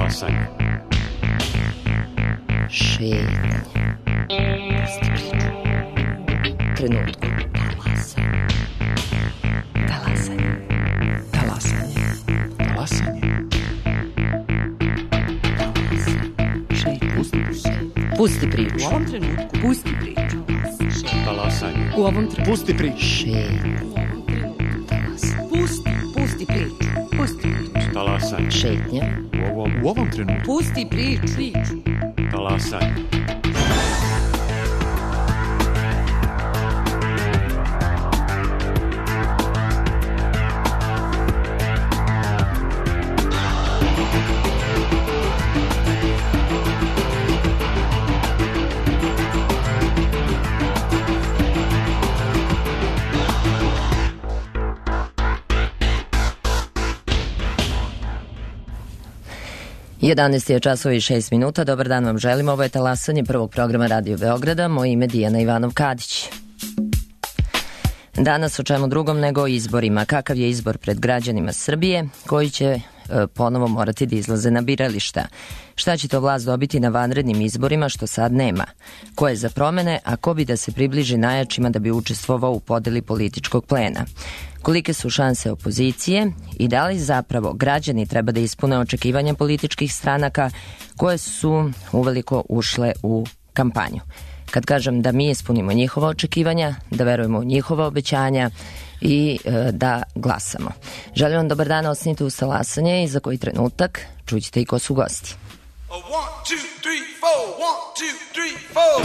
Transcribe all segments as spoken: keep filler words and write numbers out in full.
Talasanje. Šetnje. Trenutku. Talasanje. Talasanje. Talasanje. Talasanje. Šetnje. Pusti priču. Pusti priču. U ovom trenutku pusti priču. Talasanje. U ovom trenutku Pusti priču. Šetnje. pusti, pusti priču. Pusti priču. Talasanje. Šetnje. U ovom, u ovom trenutku. Pusti priču. priču. Talasanje. jedanaest je časova i šest minuta. Dobar dan vam želim. Ovo je Talasanje prvog programa Radio Beograda. Moje ime je Dijana Ivanov-Kadić. Danas o čemu drugom nego o izborima. Kakav je izbor pred građanima Srbije koji će e, ponovo morati da izlaze na birališta? Šta će to vlast dobiti na vanrednim izborima što sad nema? Ko je za promene, a ko bi da se približi najjačima da bi učestvovao u podeli političkog plena? Kolike su šanse opozicije i da li zapravo građani treba da ispune očekivanja političkih stranaka koje su uveliko ušle u kampanju? Kad kažem da mi ispunimo njihova očekivanja, da verujemo u njihova obećanja i e, da glasamo. Želim vam dobar dan, ostanite uz Talasanje i za koji trenutak čućete i ko su gosti. One, two, three, four. One, two, three, four.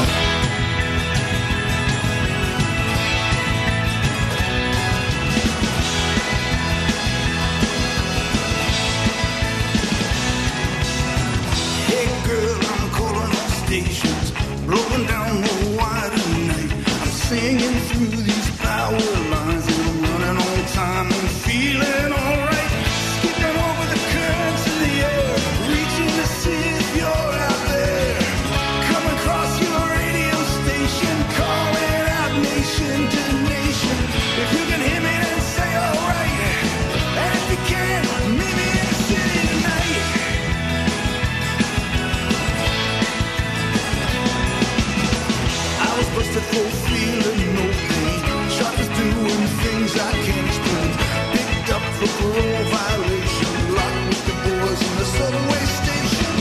Stations blowing down the wire tonight. I'm singing through these power lines and I'm running on time and feeling alright. Skipping over the currents of the air, reaching to see if you're out there. Come across your radio station, calling out nation to nation. If you can hear me, then say alright. And if you can't, meet me in the city tonight. Busted for feeling no pain. Shot is doing things I can't explain. Picked up for parole violation. Locked with the boys in the subway station.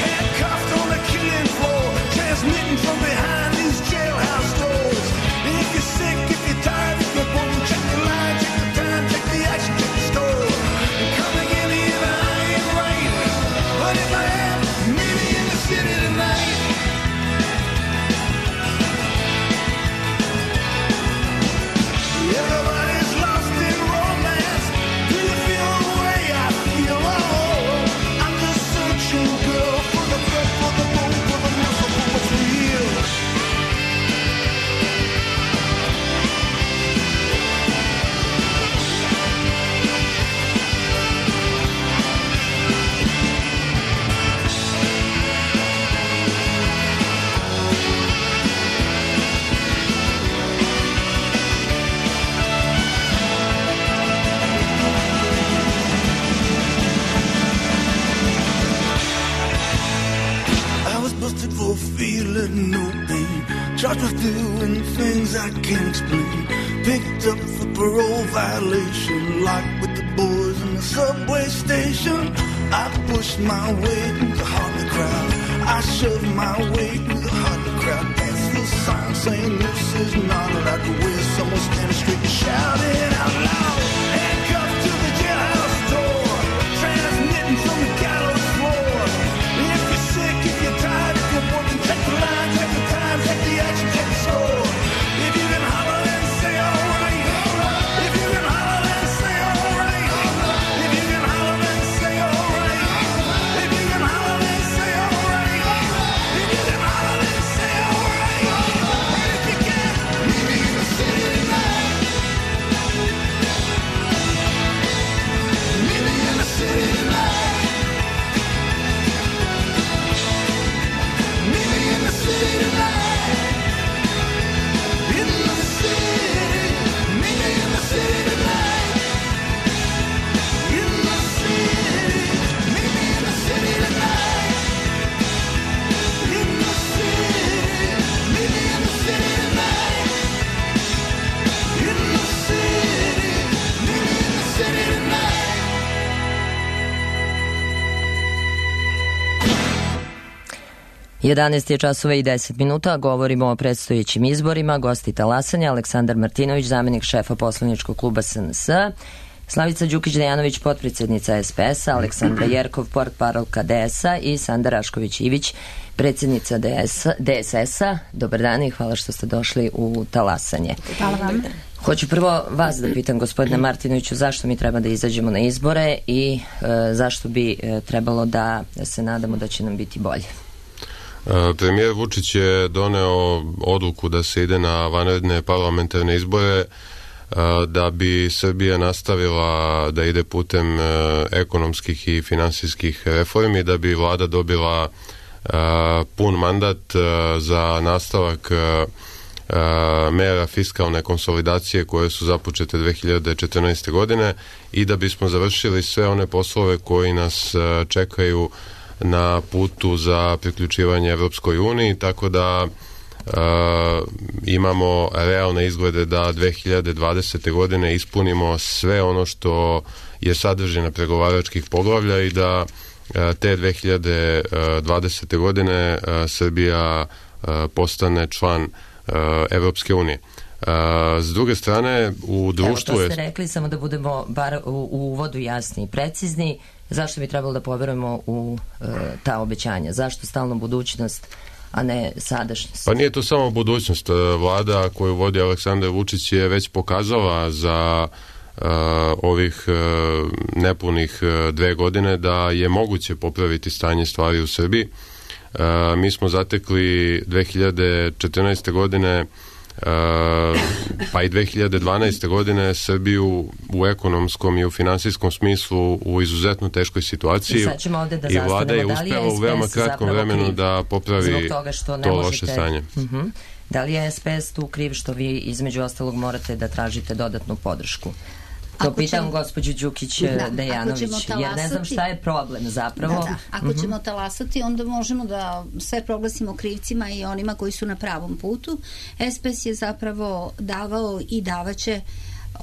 Handcuffed on the killing floor. Transmitting from behind these jailhouse doors. And if you're sick, if you're tired, if you're bored, check the line, check the time, check the action, check the store. And come and get me if I ain't right. But if I am, meet me in the city tonight. Everybody's lost in romance. Do you feel the way I feel? Oh, I'm just searching, girl, for the breath, for the bone, for the muscle, for what's real. Busted for feeling no pain. Charged with doing things I can't explain. Picked up for parole violation. Locked with the boys in the subway station. I pushed my way through the heart of the crowd. I shoved my way through the heart of the crowd. Dance the sign saying this is not allowed to wear. Someone standing straight and shouting out loud. Handcuffed to the jailhouse door. Transmitting from the gallows floor. If you're sick, if you're tired, if you're working, check the line, check the time, check the action, check the score. If you can holler and say alright. If you can holler and say alright. If you can holler and say alright. If you can holler and say alright. If you can holler and say alright. And if you can, meet me in the city tonight. jedanaest je časova i deset minuta, govorimo o predstojećim izborima. Gosti talasanja: Aleksandar Martinović, zamenik šefa poslaničkog kluba S N S, Slavica Đukić-Dejanović, potpredsjednica S P S-a, Aleksandra Jerkov, portparolka D S-a i Sanda Rašković-Ivić, predsjednica D S S-a. Dobar dan i hvala što ste došli u talasanje. Hvala vam. Hoću prvo vas da pitam, gospodine Martinoviću, zašto mi treba da izađemo na izbore i e, zašto bi e, trebalo da se nadamo da će nam biti bolje? Premijer Vučić je doneo odluku da se ide na vanredne parlamentarne izbore da bi Srbija nastavila da ide putem ekonomskih i finansijskih reformi, da bi vlada dobila pun mandat za nastavak mera fiskalne konsolidacije koje su započete dve hiljade četrnaeste. godine i da bismo završili sve one poslove koji nas čekaju na putu za priključivanje Evropskoj uniji, tako da e, imamo realne izglede da dve hiljade dvadesete. godine ispunimo sve ono što je sadržina pregovaračkih poglavlja i da e, te dve hiljade dvadesete. godine e, Srbija e, postane član e, Evropske unije. Uh, s druge strane, u društvu je... Evo, to ste rekli, samo da budemo bar u, u uvodu jasni i precizni. Zašto bi trebalo da poverujemo u uh, ta obećanja? Zašto stalno budućnost, a ne sadašnjost? Pa nije to samo budućnost. Vlada koju vodi Aleksandar Vučić je već pokazala za uh, ovih uh, nepunih uh, dve godine da je moguće popraviti stanje stvari u Srbiji. Uh, mi smo zatekli dve hiljade četrnaeste. godine Uh, pa i dve hiljade dvanaeste. godine Srbiju u ekonomskom i u finansijskom smislu u izuzetno teškoj situaciji. I sad ćemo ovde da i vlada je zastanemo. uspela u veoma kratkom vremenu da popravi to loše stanje. Uh-huh. Da li je S P S tu kriv što vi između ostalog morate da tražite dodatnu podršku? To ako pitam ćemo, gospođu Đukić-Dejanović, jer ne znam šta je problem zapravo. Da, da. Ako uh-huh. ćemo talasati, onda možemo da sve proglasimo krivcima i onima koji su na pravom putu. S P S je zapravo davao i davaće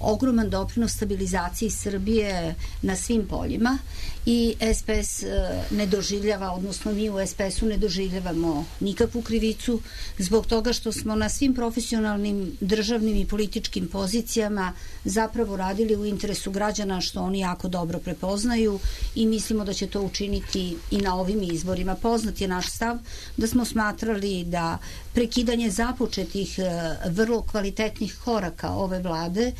ogroman doprinos stabilizaciji Srbije na svim poljima i S P S ne doživljava, odnosno mi u S P S-u ne doživljavamo nikakvu krivicu zbog toga što smo na svim profesionalnim, državnim i političkim pozicijama zapravo radili u interesu građana, što oni jako dobro prepoznaju i mislimo da će to učiniti i na ovim izborima. Poznat je naš stav da smo smatrali da prekidanje započetih vrlo kvalitetnih koraka ove vlade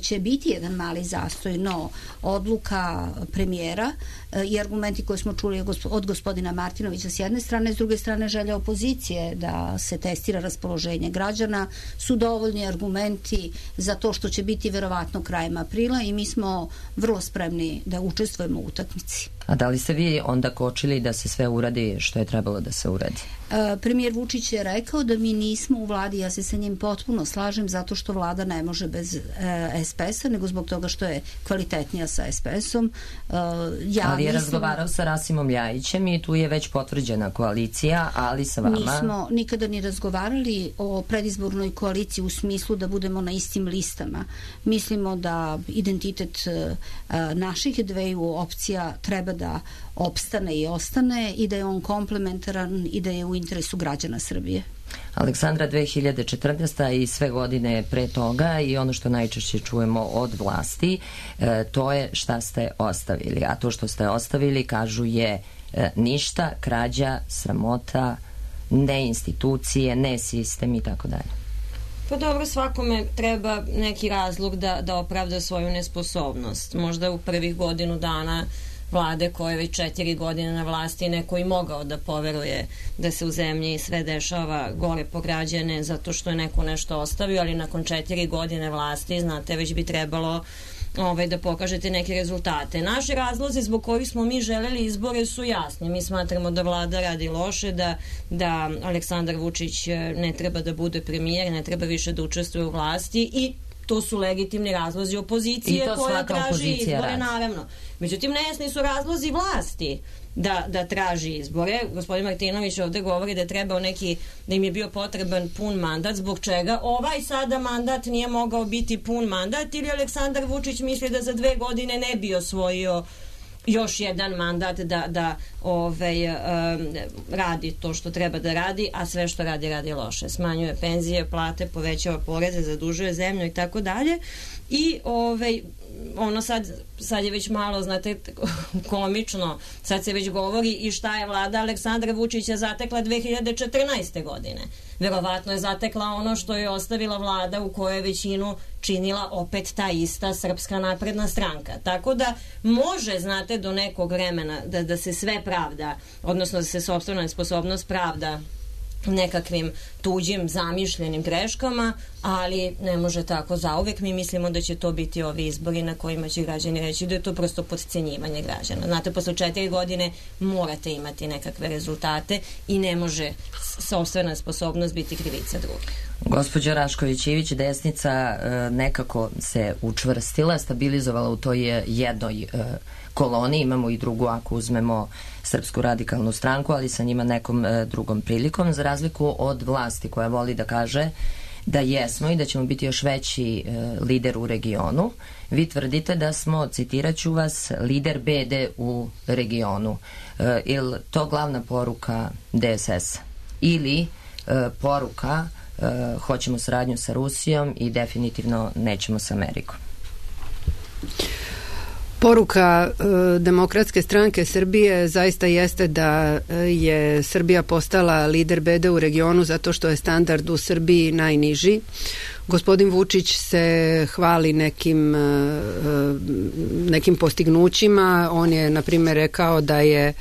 će biti jedan mali zastoj, no odluka premijera i argumenti koje smo čuli od gospodina Martinovića s jedne strane, s druge strane želja opozicije da se testira raspoloženje građana su dovoljni argumenti za to što će biti verovatno krajem aprila i mi smo vrlo spremni da učestvujemo u utakmici. A da li ste vi onda kočili da se sve uradi što je trebalo da se uradi? E, premijer Vučić je rekao da mi nismo u vladi, ja se sa njim potpuno slažem zato što vlada ne može bez e, S P S-a, nego zbog toga što je kvalitetnija sa S P S-om. E, ja ali je mislim, razgovarao sa Rasimom Ljajićem i tu je već potvrđena koalicija, ali sa vama... Nismo nikada ni razgovarali o predizbornoj koaliciji u smislu da budemo na istim listama. Mislimo da identitet e, naših dveju opcija treba da opstane i ostane i da je on komplementaran i da je u interesu građana Srbije. Aleksandra, dve hiljade četrnaeste. i sve godine pre toga i ono što najčešće čujemo od vlasti, e, to je šta ste ostavili. A to što ste ostavili, kažu, je e, ništa, krađa, sramota, ne institucije, ne sistem i tako dalje. Pa dobro, svakome treba neki razlog da, da opravda svoju nesposobnost. Možda u prvih godinu dana vlade koje je već četiri godine na vlasti neko i mogao da poveruje da se u zemlji sve dešava gore po građane zato što je neko nešto ostavio, ali nakon četiri godine vlasti, znate, već bi trebalo ovaj, da pokažete neke rezultate. Naši razlozi zbog kojih smo mi želeli izbore su jasni. Mi smatramo da vlada radi loše, da, da Aleksandar Vučić ne treba da bude premijer, ne treba više da učestvuje u vlasti i to su legitimni razlozi opozicije koja traži izbore, radi. Naravno. Međutim, nejasni su razlozi vlasti da, da traži izbore. Gospodin Martinović ovde govori da je trebao neki, da im je bio potreban pun mandat. Zbog čega ovaj sada mandat nije mogao biti pun mandat ili Aleksandar Vučić misli da za dve godine ne bi osvojio još jedan mandat da, da ovaj, um, radi to što treba da radi, a sve što radi, radi loše. Smanjuje penzije, plate, povećava poreze, zadužuje zemlju i tako dalje. I ovaj, ono sad, sad je već malo, znate, komično, sad se već govori i šta je vlada Aleksandra Vučića zatekla dve hiljade četrnaeste. godine. Verovatno je zatekla ono što je ostavila vlada u kojoj je većinu činila opet ta ista Srpska napredna stranka. Tako da može, znate, do nekog vremena da, da se sve pravda, odnosno da se sopstvena nesposobnost pravda nekakvim tuđim zamišljenim greškama, ali ne može tako zauvek. Mi mislimo da će to biti ovi izbori na kojima će građani reći da je to prosto podcenjivanje građana. Znate, posle četiri godine morate imati nekakve rezultate i ne može sopstvena sposobnost biti krivica drugih. Gospođa Rašković-Ivić, desnica nekako se učvrstila, stabilizovala u toj jednoj koloni, imamo i drugu ako uzmemo Srpsku radikalnu stranku, ali sa njima nekom drugom prilikom, za razliku od vlasti koja voli da kaže da jesmo i da ćemo biti još veći lider u regionu. Vi tvrdite da smo, citirat ću vas, lider bede u regionu. Ili to glavna poruka D S S ili poruka hoćemo saradnju sa Rusijom i definitivno nećemo sa Amerikom? Poruka e, Demokratske stranke Srbije zaista jeste da je Srbija postala lider bede u regionu zato što je standard u Srbiji najniži. Gospodin Vučić se hvali nekim, e, nekim postignućima. On je, na primjer, rekao da je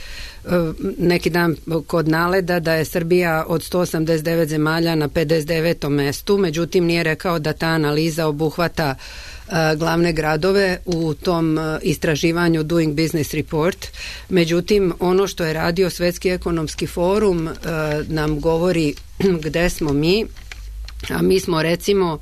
neki dan kod Naleda da je Srbija od sto osamdeset devet zemalja na pedeset devetom mestu, međutim nije rekao da ta analiza obuhvata uh, glavne gradove u tom uh, istraživanju Doing Business Report. Međutim, ono što je radio Svetski ekonomski forum uh, nam govori gde smo mi, a mi smo recimo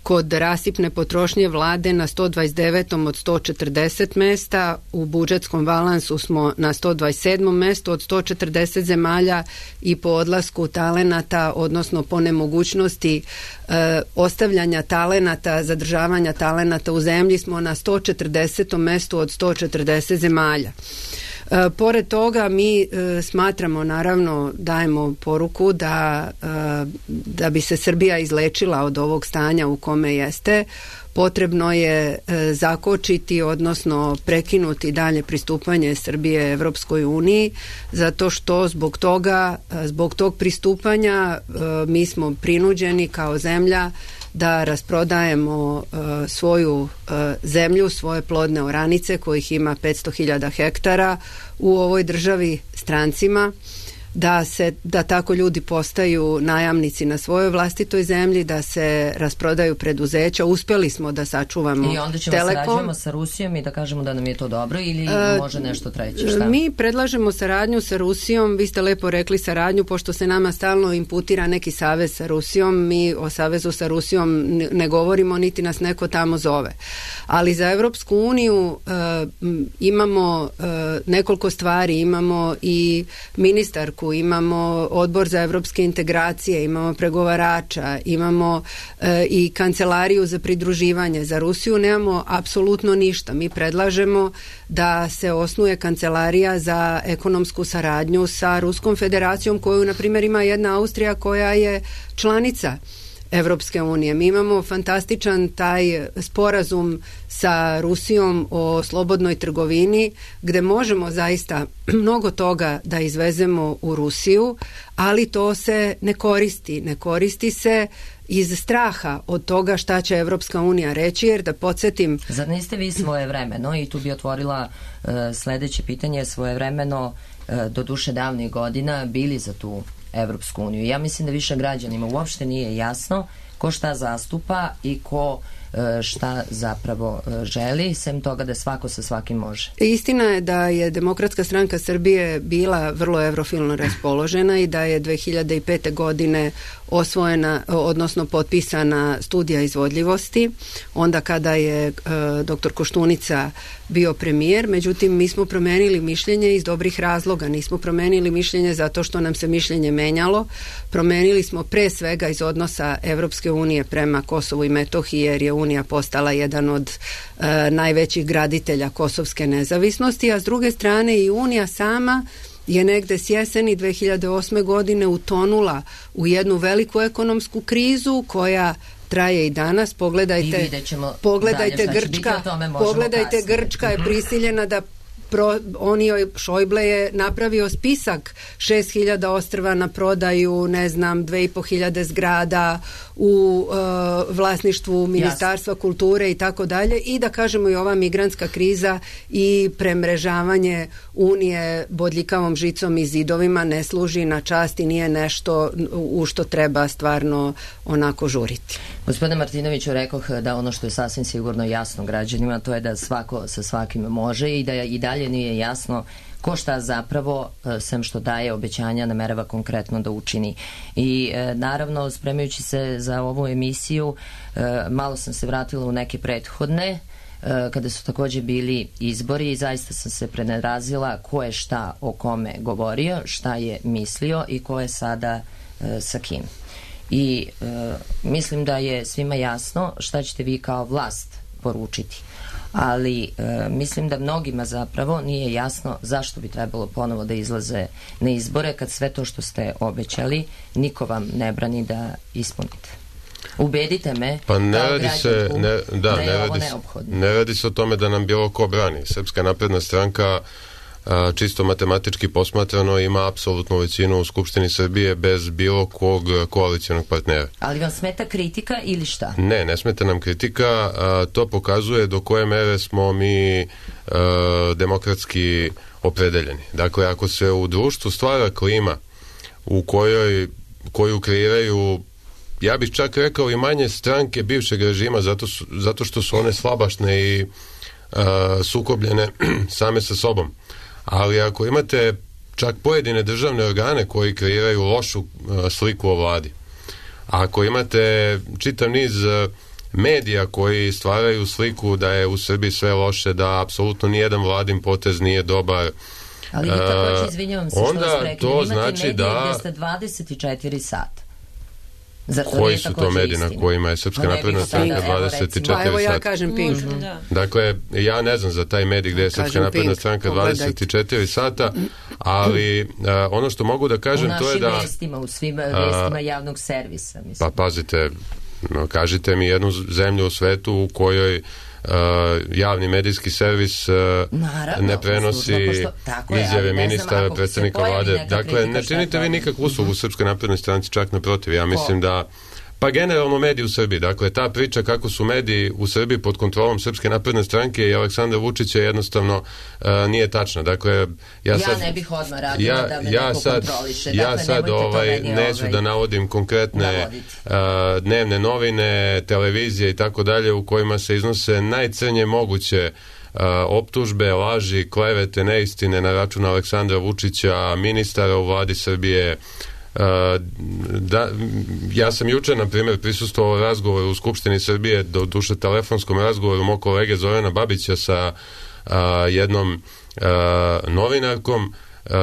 kod rasipne potrošnje vlade na sto dvadeset devetom od sto četrdeset mesta, u budžetskom balansu smo na sto dvadeset sedmom mestu od sto četrdeset zemalja i po odlasku talenata, odnosno po nemogućnosti e, ostavljanja talenata, zadržavanja talenata u zemlji smo na sto četrdesetom mestu od sto četrdeset zemalja. E, pored toga mi e, smatramo, naravno dajemo poruku da, e, da bi se Srbija izlečila od ovog stanja u kome jeste, potrebno je e, zakočiti, odnosno prekinuti dalje pristupanje Srbije Evropskoj uniji, zato što zbog toga, zbog tog pristupanja e, mi smo prinuđeni kao zemlja da rasprodajemo uh, svoju uh, zemlju, svoje plodne oranice kojih ima petsto hiljada hektara u ovoj državi strancima, da se da tako ljudi postaju najamnici na svojoj vlastitoj zemlji, da se rasprodaju preduzeća. Uspjeli smo da sačuvamo i onda ćemo Telekom. Sarađujemo sa Rusijom i da kažemo da nam je to dobro ili e, može nešto treće? Šta? Mi predlažemo saradnju sa Rusijom, vi ste lepo rekli saradnju, pošto se nama stalno imputira neki savez sa Rusijom, mi o savezu sa Rusijom ne govorimo, niti nas neko tamo zove. Ali za Evropsku uniju e, imamo e, nekoliko stvari, imamo i ministarku, imamo odbor za evropske integracije, imamo pregovarača, imamo e, i kancelariju za pridruživanje. Za Rusiju nemamo apsolutno ništa. Mi predlažemo da se osnuje kancelarija za ekonomsku saradnju sa Ruskom federacijom, koju, na primjer, ima jedna Austrija koja je članica Evropske unije. Mi imamo fantastičan taj sporazum sa Rusijom o slobodnoj trgovini, gde možemo zaista mnogo toga da izvezemo u Rusiju, ali to se ne koristi. Ne koristi se iz straha od toga šta će Evropska unija reći, jer da podsjetim... Zar niste vi svojevremeno, i tu bi otvorila uh, sledeće pitanje, svojevremeno uh, do duše davnih godina bili za tu Evropsku uniju? Ja mislim da više građanima uopšte nije jasno ko šta zastupa i ko šta zapravo želi, sem toga da svako sa svakim može. Istina je da je Demokratska stranka Srbije bila vrlo evrofilno raspoložena i da je dve hiljade pete. godine osvojena, odnosno potpisana studija izvodljivosti, onda kada je e, doktor Koštunica bio premijer. Međutim, mi smo promenili mišljenje iz dobrih razloga. Nismo promenili mišljenje zato što nam se mišljenje menjalo. Promenili smo pre svega iz odnosa Evropske unije prema Kosovu i Metohiji, jer je unija postala jedan od e, najvećih graditelja kosovske nezavisnosti, a s druge strane i Unija sama je negde s jeseni dve hiljade osme godine utonula u jednu veliku ekonomsku krizu koja traje i danas. Pogledajte, pogledajte Grčka, pogledajte Grčka je prisiljena da Pro, on joj, Šojble je napravio spisak šest hiljada ostrva na prodaju, ne znam, dve i po hiljade zgrada u uh, vlasništvu Ministarstva Jasne. kulture i tako dalje, i da kažemo i ova migrantska kriza i premrežavanje Unije bodljikavom žicom i zidovima ne služi na čast i nije nešto u što treba stvarno onako žuriti. Gospodine Martinoviću, rekoh da ono što je sasvim sigurno jasno građanima, to je da svako sa svakim može i da i dalje nije jasno ko šta zapravo, sem što daje obećanja, namerava konkretno da učini. I e, naravno, spremajući se za ovu emisiju, e, malo sam se vratila u neke prethodne, e, kada su takođe bili izbori i zaista sam se prenerazila ko je šta o kome govorio, šta je mislio i ko je sada e, sa kim. I e, mislim da je svima jasno šta ćete vi kao vlast poručiti. Ali e, mislim da mnogima zapravo nije jasno zašto bi trebalo ponovo da izlaze na izbore kad sve to što ste obećali niko vam ne brani da ispunite. Ubedite me pa ne kao radi se, ne, da, da je ne ovo radi, neophodno. Ne radi se o tome da nam bilo ko brani. Srpska napredna stranka a, čisto matematički posmatrano ima apsolutnu većinu u Skupštini Srbije bez bilo kog koalicionog partnera. Ali vam smeta kritika ili šta? Ne, ne smeta nam kritika, a, to pokazuje do koje mere smo mi a, demokratski opredeljeni. Dakle, ako se u društvu stvara klima u kojoj, koju kreiraju, ja bih čak rekao, i manje stranke bivšeg režima zato, su, zato što su one slabašne i a, sukobljene same sa sobom. Ali ako imate čak pojedine državne organe koji kreiraju lošu uh, sliku o vladi, ako imate čitav niz uh, medija koji stvaraju sliku da je u Srbiji sve loše, da apsolutno nijedan vladin potez nije dobar, ali vi takođe, izvinjavam se onda što vas prekinem, to imate znači medije da gdje ste dvadeset četiri sata. Koji su to mediji na kojima je Srpska napredna stranka dvadeset četiri sata? Evo ja kažem Pink. Mm-hmm. Da. Dakle, ja ne znam za taj medij gde je Srpska napredna stranka dvadeset četiri sata, ali uh, ono što mogu da kažem to je da... U našim vestima, u svim vestima javnog servisa. Mislim. Pa pazite, no, kažite mi jednu zemlju u svetu u kojoj Uh, javni medijski servis uh, Naravno, ne prenosi pošto, izjave ministara, predsednika vlade. Dakle, ne činite vi nikakvu uslugu uh-huh. Srpskoj naprednoj stranci, čak naprotiv. Ja mislim Ko? da pa generalno mediji u Srbiji. Dakle, ta priča kako su mediji u Srbiji pod kontrolom Srpske napredne stranke i Aleksandra Vučića jednostavno uh, nije tačna. Dakle, ja, ja sad, ne bih odmah radila ja, da me ja neko sad, kontroliše. Ja dakle, sad ovaj, neću ovaj, da navodim konkretne uh, dnevne novine, televizije i tako dalje u kojima se iznose najcrnje moguće Uh, optužbe, laži, klevete, neistine na račun Aleksandra Vučića, ministara u vladi Srbije. Uh, da, ja sam juče, na primjer, prisustvovao razgovoru u Skupštini Srbije, do duše telefonskom razgovoru mog kolege Zorana Babića sa uh, jednom uh, novinarkom, uh,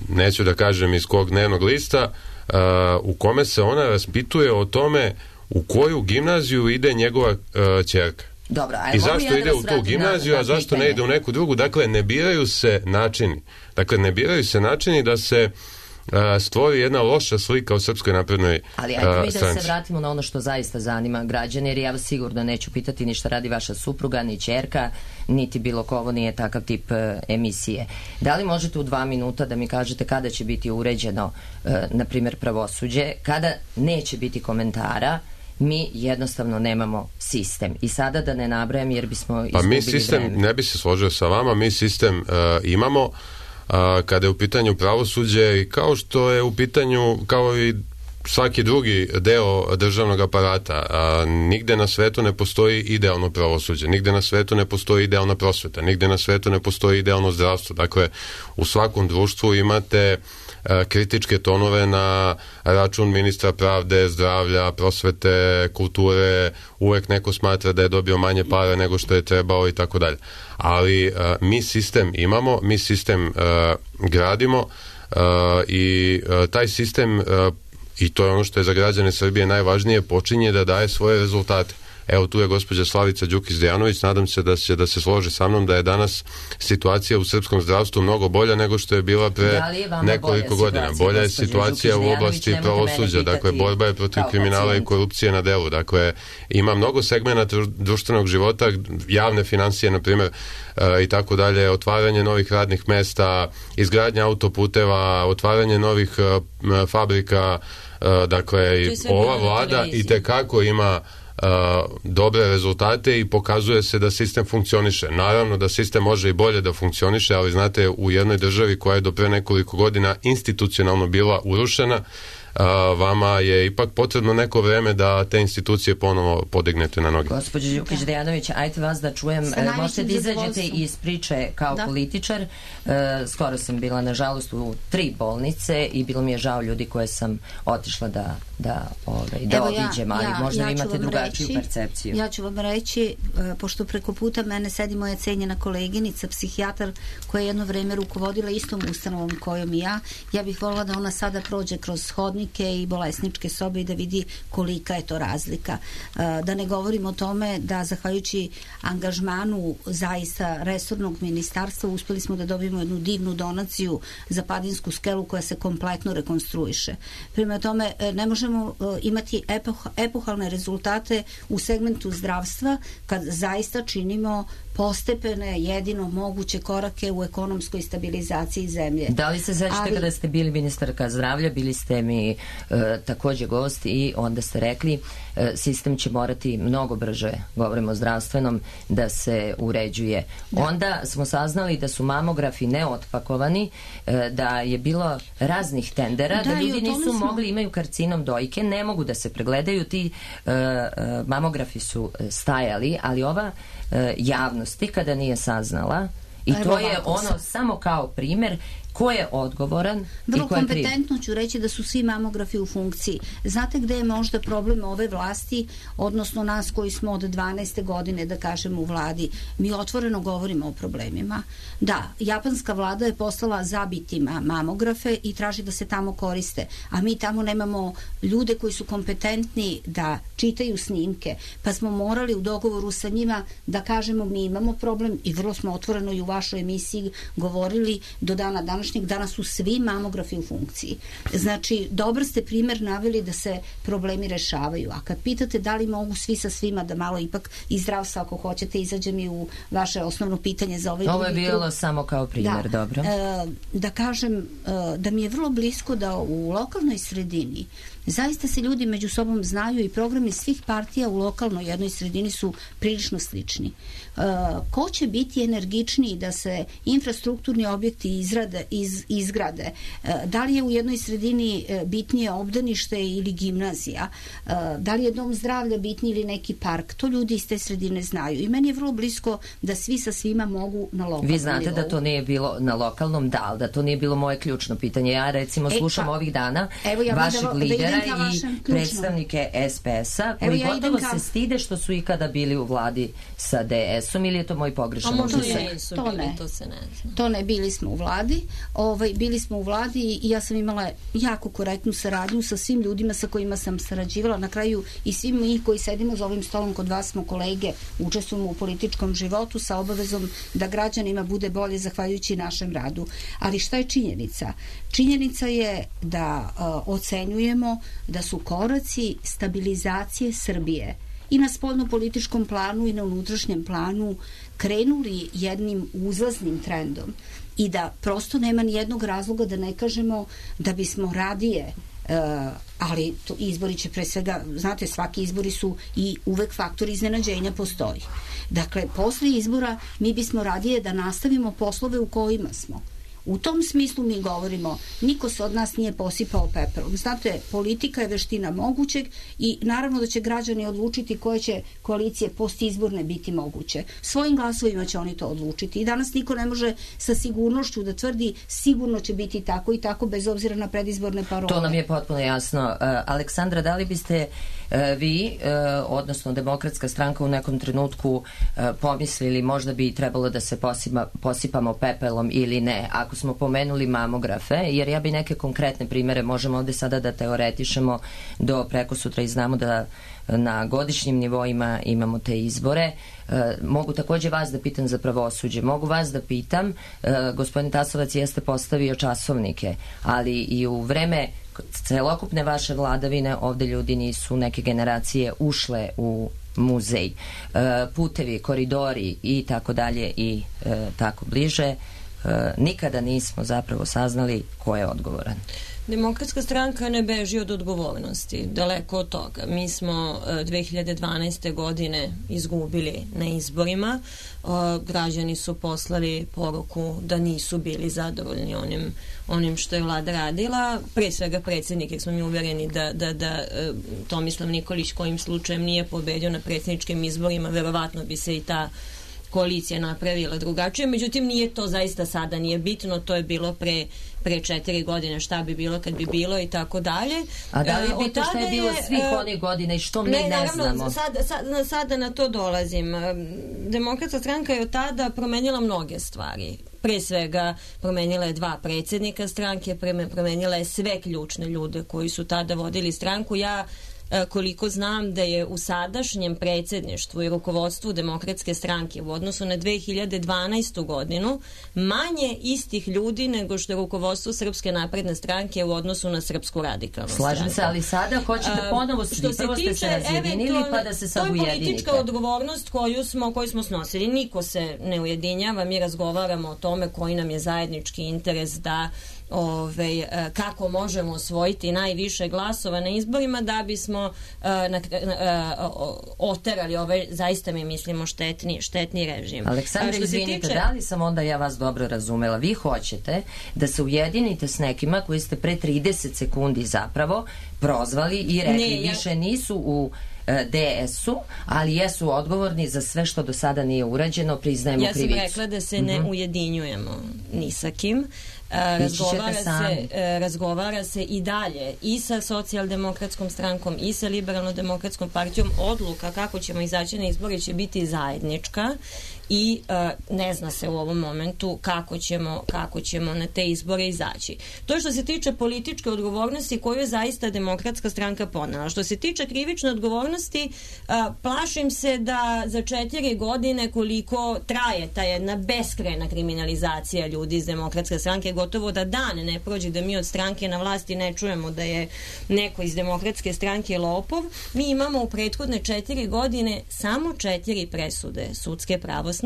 neću da kažem iz kog dnevnog lista, uh, u kome se ona raspituje o tome u koju gimnaziju ide njegova uh, ćerka. Dobro, i zašto ide u tu gimnaziju, a zašto ne ide u neku drugu? Dakle, ne biraju se načini. Dakle, ne biraju se načini da se uh, stvori jedna loša slika o Srpskoj naprednoj stranci. Ali ajde mi da se vratimo na ono što zaista zanima građane, jer ja vas sigurno neću pitati ni šta radi vaša supruga, ni ćerka, niti bilo ko, ovo nije takav tip uh, emisije. Da li možete u dva minuta da mi kažete kada će biti uređeno, uh, na primjer, pravosuđe, kada neće biti komentara, mi jednostavno nemamo sistem. I sada da ne nabrajam jer bismo izgubili vreme. Pa mi sistem, vreme. Ne bi se složio sa vama, mi sistem uh, imamo uh, kada je u pitanju pravosuđe i kao što je u pitanju, kao i svaki drugi deo državnog aparata, a, nigde na svetu ne postoji idealno pravosuđe, nigde na svetu ne postoji idealna prosveta, nigde na svetu ne postoji idealno zdravstvo. Dakle, u svakom društvu imate a, kritičke tonove na račun ministra pravde, zdravlja, prosvete, kulture, uvek neko smatra da je dobio manje para nego što je trebao i tako dalje. Ali a, mi sistem imamo, mi sistem a, gradimo, Uh, i uh, taj sistem uh, i to je ono što je za građane Srbije najvažnije, počinje da daje svoje rezultate. Evo, tu je gospođa Slavica Đukić-Dejanović, nadam se da će da se složi sa mnom da je danas situacija u srpskom zdravstvu mnogo bolja nego što je bila pre da nekoliko godina. Bolja je situacija u oblasti pravosuđa, dakle, borba je protiv kriminala pacijent. I korupcije na delu, dakle, ima mnogo segmenata društvenog života, javne financije, na primjer, i tako dalje, otvaranje novih radnih mesta, izgradnja autoputeva, otvaranje novih fabrika, dakle, ova vlada i tekako ima Uh, dobre rezultate i pokazuje se da sistem funkcioniše. Naravno da sistem može i bolje da funkcioniše, ali znate, u jednoj državi koja je do pre nekoliko godina institucionalno bila urušena, uh, vama je ipak potrebno neko vreme da te institucije ponovo podignete na noge. Gospođo Đukić-Dejanović, ajte vas da čujem, uh, možete da izađete iz priče kao da. političar. Uh, skoro sam bila, nažalost, u tri bolnice i bilo mi je žao ljudi koje sam otišla da da, ovaj, da obiđem, ali ja, možda ja vi imate drugačiju reći, percepciju. Ja ću vam reći, pošto preko puta mene sedi moja cenjena koleginica, psihijatar, koja je jedno vreme rukovodila istom ustanovom kojom i ja, ja bih voljela da ona sada prođe kroz hodnike i bolesničke sobe i da vidi kolika je to razlika. Da ne govorim o tome da, zahvaljujući angažmanu zaista resornog ministarstva, uspeli smo da dobijemo jednu divnu donaciju za Padinsku skelu koja se kompletno rekonstruiše. Prema tome, ne možemo imati epoh, epohalne rezultate u segmentu zdravstva kad zaista činimo postepene, jedino moguće korake u ekonomskoj stabilizaciji zemlje. Da li se sećate Ali... kada ste bili ministarka zdravlja, bili ste mi e, takođe gost i onda ste rekli e, sistem će morati mnogo brže, govorimo o zdravstvenom, da se uređuje. Da. Onda smo saznali da su mamografi neotpakovani, e, da je bilo raznih tendera, da, da ljudi nisu smo... mogli, imaju karcinom dojke, ne mogu da se pregledaju, ti e, e, mamografi su stajali, ali ova e, javnost kada nije saznala i to je ono samo kao primjer ko je odgovoran. Vrlo kompetentno ću reći da su svi mamografi u funkciji. Znate gde je možda problem ove vlasti, odnosno nas koji smo od dvanaeste godine, da kažemo, u vladi? Mi otvoreno govorimo o problemima. Da, japanska vlada je poslala zabitima mamografe i traži da se tamo koriste, a mi tamo nemamo ljude koji su kompetentni da čitaju snimke, pa smo morali u dogovoru sa njima da kažemo mi imamo problem i vrlo smo otvoreno i u vašoj emisiji govorili do dana dana danas su svi mamografi u funkciji. Znači, dobar ste primjer naveli da se problemi rešavaju. A kad pitate da li mogu svi sa svima, da malo ipak iz zdravstva, ako hoćete, izađe mi u vaše osnovno pitanje za ovaj... Ovo je bilo krug. Samo kao primjer, da, dobro. E, da kažem, e, da mi je vrlo blisko da u lokalnoj sredini zaista se ljudi među sobom znaju i programi svih partija u lokalnoj jednoj sredini su prilično slični. E, ko će biti energičniji da se infrastrukturni objekti izrade, iz, izgrade? E, da li je u jednoj sredini bitnije obdanište ili gimnazija? E, da li je dom zdravlja bitniji ili neki park? To ljudi iz te sredine znaju. I meni je vrlo blisko da svi sa svima mogu na lokalnom nivou. Vi znate nivou. Da to nije bilo na lokalnom, da, ali da to nije bilo moje ključno pitanje. Ja recimo slušam e, pa, ovih dana ja vašeg da, lidera da i predstavnike S P S-a koji ja gotovo ka... se stide što su ikada bili u vladi sa D S-om, ili je to moj pogrešan utisak? To, to ne, to se ne zna. To ne, bili smo u vladi, ovaj, bili smo u vladi i ja sam imala jako korektnu saradnju sa svim ljudima sa kojima sam sarađivala. Na kraju i svi mi koji sedimo za ovim stolom kod vas smo kolege, učestvujemo u političkom životu sa obavezom da građanima bude bolje zahvaljujući našem radu. Ali šta je činjenica? Činjenica je da uh, ocenjujemo da su koraci stabilizacije Srbije i na spoljno-političkom planu i na unutrašnjem planu krenuli jednim uzlaznim trendom i da prosto nema ni jednog razloga da ne kažemo da bismo radije Uh, ali to izbori će pre svega, znate, svaki izbori su i uvek faktor iznenađenja postoji. Dakle, posle izbora mi bismo radije da nastavimo poslove u kojima smo. U tom smislu mi govorimo, niko se od nas nije posipao pepelom. Znate, politika je veština mogućeg i naravno da će građani odlučiti koje će koalicije postizborne biti moguće. Svojim glasovima će oni to odlučiti. I danas niko ne može sa sigurnošću da tvrdi sigurno će biti tako i tako bez obzira na predizborne parole. To nam je potpuno jasno. Uh, Aleksandra, da li biste vi, odnosno Demokratska stranka, u nekom trenutku pomislili možda bi trebalo da se posima, posipamo pepelom ili ne, ako smo pomenuli mamografe, jer ja bi neke konkretne primere, možemo ovde sada da teoretišemo do preko sutra i znamo da na godišnjim nivoima imamo te izbore. E, mogu takođe vas da pitam za pravosuđe. Mogu vas da pitam, e, gospodin Tasovac jeste postavio časovnike, ali i u vreme celokupne vaše vladavine ovde ljudi nisu, neke generacije ušle u muzej. E, putevi, koridori i tako dalje i e, tako bliže. E, nikada nismo zapravo saznali ko je odgovoran. Demokratska stranka ne beži od odgovornosti, daleko od toga. Mi smo dve hiljade dvanaeste. godine izgubili na izborima. Građani su poslali poruku da nisu bili zadovoljni onim, onim što je vlada radila. Pre svega predsjednik, jer smo mi uvereni da, da, da Tomislav Nikolić kojim slučajem nije pobedio na predsjedničkim izborima, verovatno bi se i ta koalicija napravila drugačije, međutim nije to zaista sada, nije bitno, to je bilo pre, pre četiri godine, šta bi bilo kad bi bilo i tako dalje. A da li je bitno šta je bilo svih onih godina i što mi ne, ne znamo? Sada, sada, sada na to dolazim. Demokratska stranka je od tada promenila mnoge stvari. Pre svega promenila je dva predsjednika stranke, promenila je sve ključne ljude koji su tada vodili stranku. Ja koliko znam da je u sadašnjem predsjedništvu i rukovodstvu Demokratske stranke u odnosu na dve hiljade dvanaestu. godinu manje istih ljudi nego što je rukovodstvo Srpske napredne stranke u odnosu na Srpsku radikalnu stranku. Slažem se, ali sada hoćete ponovo, prvo ste se razjedinili pa da se sad ujedinite. To je politička odgovornost koju smo, koju smo snosili. Niko se ne ujedinjava, mi razgovaramo o tome koji nam je zajednički interes da Ove, kako možemo osvojiti najviše glasova na izborima da bismo uh, na, uh, oterali ovaj, zaista mi mislimo, štetni, štetni režim. Aleksandra, izvinite, tiče... da li sam onda ja vas dobro razumela? Vi hoćete da se ujedinite s nekima koji ste pre trideset sekundi zapravo prozvali i rekli ne, ja... više nisu u D S-u, ali jesu odgovorni za sve što do sada nije urađeno, priznajemo ja krivicu. Ja sam rekla da se ne mm-hmm. ujedinjujemo ni sa kim. Razgovara se, razgovara se i dalje i sa socijaldemokratskom strankom i sa liberalno-demokratskom partijom. Odluka kako ćemo izaći na izbore će biti zajednička i uh, ne zna se u ovom momentu kako ćemo, kako ćemo na te izbore izaći. To je što se tiče političke odgovornosti koju je zaista Demokratska stranka ponela. Što se tiče krivične odgovornosti, uh, plašim se da za četiri godine koliko traje ta jedna beskrajna kriminalizacija ljudi iz Demokratske stranke, gotovo da dan ne prođe da mi od stranke na vlasti ne čujemo da je neko iz Demokratske stranke lopov. Mi imamo u prethodne četiri godine samo četiri presude sudske pravosnažne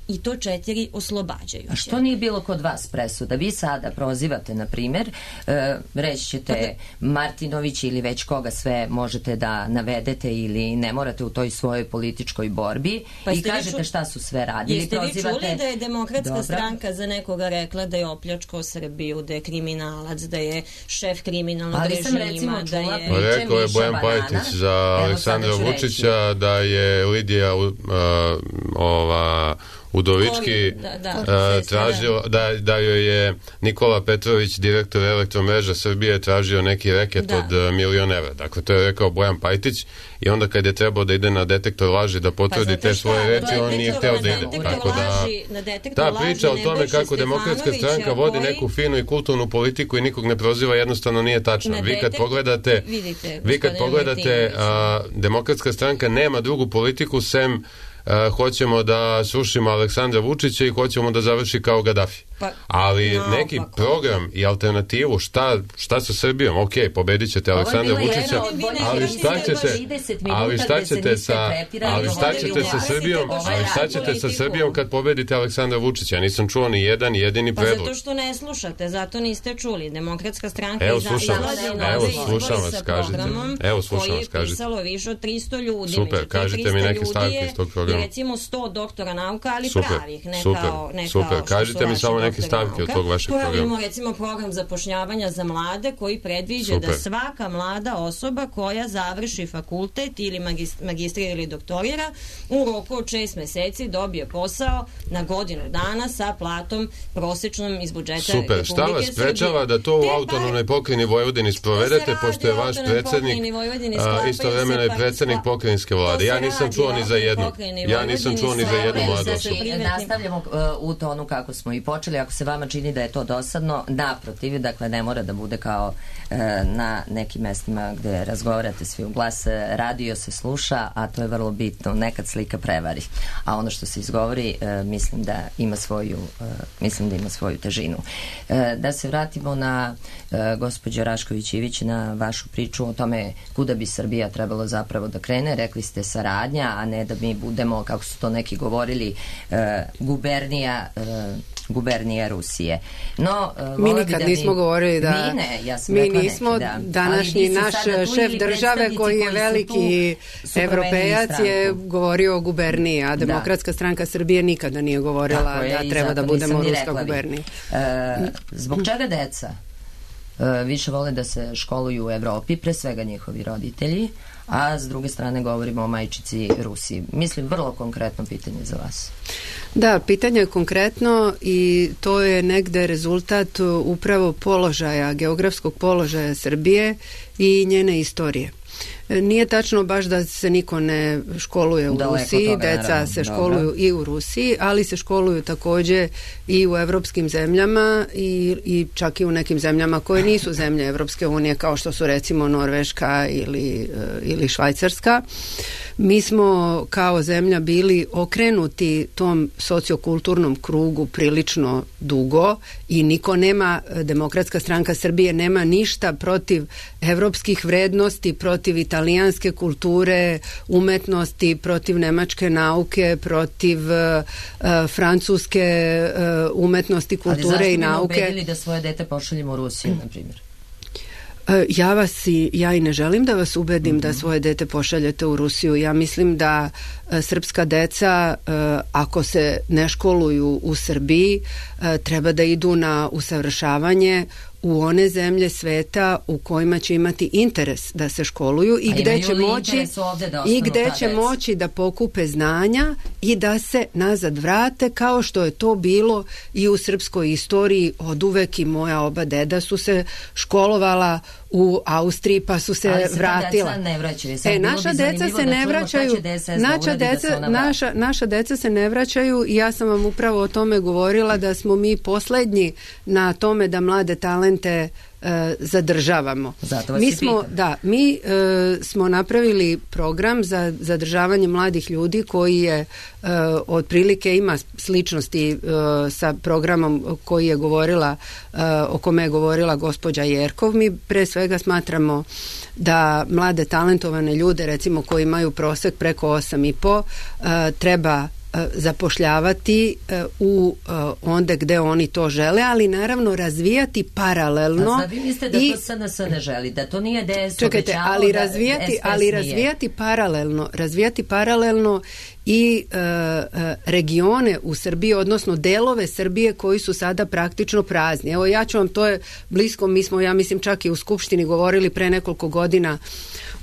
i to četiri oslobađajuće. A što nije bilo kod vas presuda? Vi sada prozivate, na primjer, e, reći ćete Martinović ili već koga sve možete da navedete ili ne morate u toj svojoj političkoj borbi pa i kažete ču... šta su sve radili. Jeste prozivate... vi čuli da je Demokratska Dobra. stranka za nekoga rekla da je opljačkao Srbiju, da je kriminalac, da je šef kriminalnog Ali režima, recimo, da je... Pa rekao je Bojan Pajtić za Aleksandra Vučića da je Lidija uh, ova Udovički da, da, uh, tražio da, da joj je Nikola Petrović, direktor Elektromreža Srbije, tražio neki reket da. od uh, milion evra. Dakle, to je rekao Bojan Pajtić i onda kad je trebao da ide na detektor laži da potvrdi pa, te svoje reči, on nije hteo da ide. Tako da, ta priča o tome kako Demokratska stranka vodi neku finu i kulturnu politiku i nikog ne proziva, jednostavno nije tačna. Vi kad pogledate, vidite, vi kad pogledate uh, Demokratska stranka nema drugu politiku sem Uh, hoćemo da srušimo Aleksandra Vučića i hoćemo da završi kao Gaddafi. Pa, ali no, neki pa, program i alternativu šta, šta sa Srbijom, ok, pobedit ćete Aleksandra Vučića, ali šta ćete ali šta ćete sa ali šta ćete sa Srbijom ali šta ćete sa Srbijom kad pobedite Aleksandra Vučića? Ja nisam čuo ni jedan jedini predlog. Pa zato što ne slušate, zato niste čuli. Demokratska stranka evo slušam evo slušam vas, kažete evo slušam vas, kažete pisalo više od tristo ljudi. Super, kažite mi neke stavke iz tog programa. Recimo sto doktora nauka, ali super, pravih, ne super, kao, ne super. kao Kažite mi samo neke neke stavke od tog vašeg programa. Imamo recimo program zapošljavanja za mlade koji predviđa Super. Da svaka mlada osoba koja završi fakultet ili magistrira ili doktorira u roku od šest meseci dobije posao na godinu dana sa platom prosečnom iz budžeta Super. Republike Šta vas Srbije. sprečava da to u autonomnoj pokrajini Vojvodini sprovedete, pošto je vaš predsednik istovremeno i predsednik pokrajinske vlade? Ja nisam čuo ni za jednu. Ja nisam čuo ni za jednu mladu osobu. Nastavljamo uh, u tonu kako smo i počeli. Ako se vama čini da je to dosadno, naprotiv, dakle ne mora da bude kao uh, na nekim mestima gde razgovarate svi u glas, radio se sluša, a to je vrlo bitno, nekad slika prevari, a ono što se izgovori uh, mislim da ima svoju uh, mislim da ima svoju težinu. Uh, da se vratimo na uh, gospođo Rašković-Ivić, na vašu priču o tome kuda bi Srbija trebalo zapravo da krene. Rekli ste saradnja, a ne da mi budemo, kako su to neki govorili, uh, gubernija uh, gubernija Rusije. No, uh, mi nikad da nismo mi, govorili da mi, ne, ja mi nismo neki, da. današnji naš šef države koji je veliki evropejac je govorio o guberniji, a Demokratska da. stranka Srbije nikada nije govorila je, da treba da budemo ruska gubernija. Uh, zbog čega deca uh, više vole da se školuju u Evropi, pre svega njihovi roditelji, a s druge strane govorimo o majčici Rusiji? Mislim, vrlo konkretno pitanje za vas. Da, pitanje je konkretno i to je negde rezultat upravo položaja, geografskog položaja Srbije i njene istorije. Nije tačno baš da se niko ne školuje u Daleko Rusiji, toga, deca naravno. se školuju Dobre. i u Rusiji, ali se školuju takođe i u evropskim zemljama i, i čak i u nekim zemljama koje nisu zemlje Evropske unije, kao što su recimo Norveška ili, ili Švajcarska. Mi smo kao zemlja bili okrenuti tom sociokulturnom krugu prilično dugo i niko nema, Demokratska stranka Srbije nema ništa protiv evropskih vrednosti, protiv italijanske kulture, umetnosti, protiv nemačke nauke, protiv uh, francuske uh, umetnosti, kulture i nauke. Ali zašto bi ubedili da svoje dete pošaljemo u Rusiju, na primjer? Ja vas i, ja i ne želim da vas ubedim mm-hmm. da svoje dete pošaljete u Rusiju. Ja mislim da uh, srpska deca, uh, ako se ne školuju u Srbiji, uh, treba da idu na usavršavanje u one zemlje sveta u kojima će imati interes da se školuju i gde će moći i gde će moći da pokupe znanja i da se nazad vrate, kao što je to bilo i u srpskoj istoriji od uvek. I moja oba deda su se školovala u Austriji pa su se, ali se vratila. Deca ne vraćaju. E, naša deca se ne vraćaju. Naša deca, da naša, naša deca se ne vraćaju i ja sam vam upravo o tome govorila da smo mi poslednji na tome da mlade talente e, zadržavamo. Zato vas mi i smo, pitam. da, mi e, smo napravili program za zadržavanje mladih ljudi koji je e, otprilike ima sličnosti e, sa programom koji je govorila, e, o kome je govorila gospođa Jerkov. Mi pre svega smatramo da mlade talentovane ljude, recimo koji imaju prosek preko osam i po, e, treba zapošljavati u onda gde oni to žele, ali naravno razvijati paralelno. A vi mislite da i, to S N S ne želi, da to nije D S čekajte, obećavao, ali da razvijati, S P S ali nije. razvijati paralelno, razvijati paralelno i e, e, regione u Srbiji, odnosno delove Srbije koji su sada praktično prazni. Evo ja ću vam, to je blisko, mi smo, ja mislim, čak i u Skupštini govorili pre nekoliko godina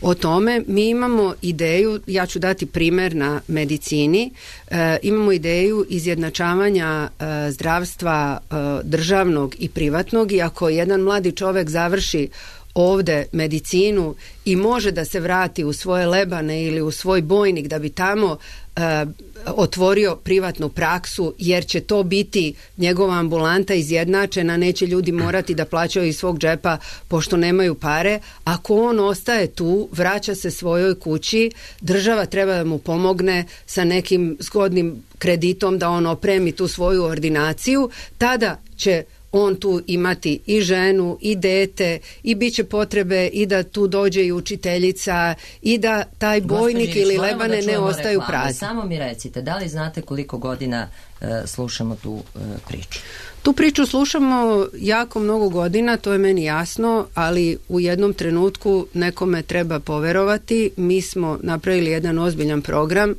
o tome. Mi imamo ideju, ja ću dati primer na medicini, e, imamo ideju izjednačavanja e, zdravstva e, državnog i privatnog, i ako jedan mladi čovek završi ovde medicinu i može da se vrati u svoje Lebane ili u svoj Bojnik da bi tamo e, otvorio privatnu praksu, jer će to biti njegova ambulanta izjednačena, neće ljudi morati da plaćaju iz svog džepa pošto nemaju pare. Ako on ostaje tu, vraća se svojoj kući, država treba da mu pomogne sa nekim zgodnim kreditom da on opremi tu svoju ordinaciju, tada će on tu imati i ženu i dete i bit će potrebe i da tu dođe i učiteljica i da taj Bojnik Gospođić, ili Lebane da ne ostaju reklame. Prazni. Samo mi recite, da li znate koliko godina uh, slušamo tu uh, priču? Tu priču slušamo jako mnogo godina, to je meni jasno, ali u jednom trenutku nekome treba poverovati. Mi smo napravili jedan ozbiljan program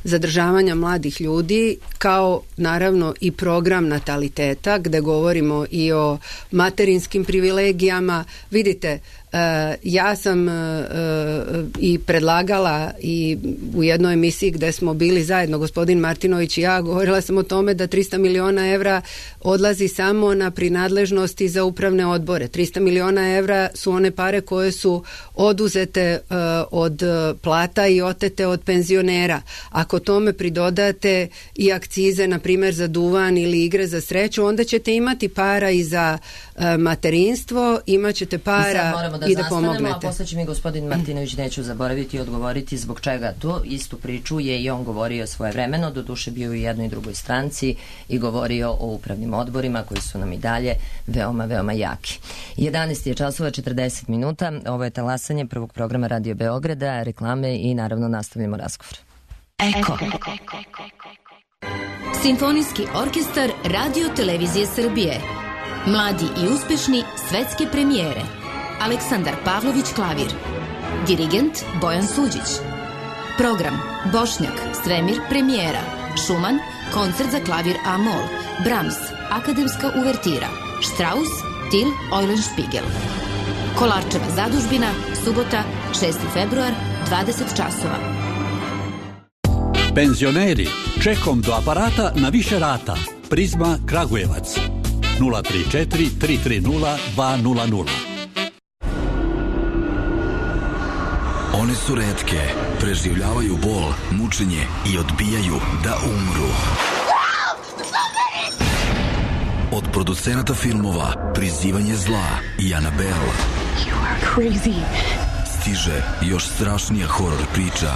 zadržavanja mladih ljudi, kao naravno i program nataliteta, gde govorimo i o materinskim privilegijama. Vidite, Uh, ja sam uh, uh, i predlagala i u jednoj emisiji gde smo bili zajedno, gospodin Martinović i ja, govorila sam o tome da trista miliona evra odlazi samo na prinadležnosti za upravne odbore. trista miliona evra su one pare koje su oduzete uh, od plata i otete od penzionera. Ako tome pridodate i akcize, na primjer za duvan ili igre za sreću, onda ćete imati para i za uh, materinstvo, imat ćete para da, i da zastanemo, pomognete. A posle će mi gospodin Martinović, neću zaboraviti i odgovoriti zbog čega to. Istu priču je i on govorio svoje vremeno, doduše bio u jednoj i drugoj stranci i govorio o upravnim odborima koji su nam i dalje veoma, veoma jaki. jedanaest je časova četrdeset minuta, ovo je talasanje prvog programa Radio Beograda, reklame i naravno nastavljamo razgovor. Eko. Simfonijski orkestar Radio Televizije Srbije. Mladi i uspešni svetske premijere. Aleksandar Pavlović klavir. Dirigent Bojan Suđić. Program Bošnjak, Svemir premijera. Šuman, koncert za klavir A-mol. Brahms, akademska uvertira. Strauss, Til Eulenspiegel. Kolarčeva zadužbina, subota, šesti februar, dvadeset časova. Penzioneri, čekom do aparata na više rata. Prizma Kragujevac. nula tri četiri tri tri nula dva nula nula. One su retke, preživljavaju bol, mučenje i odbijaju da umru. Od producenata filmova Prizivanje zla i Annabelle stiže još strašnija horor priča.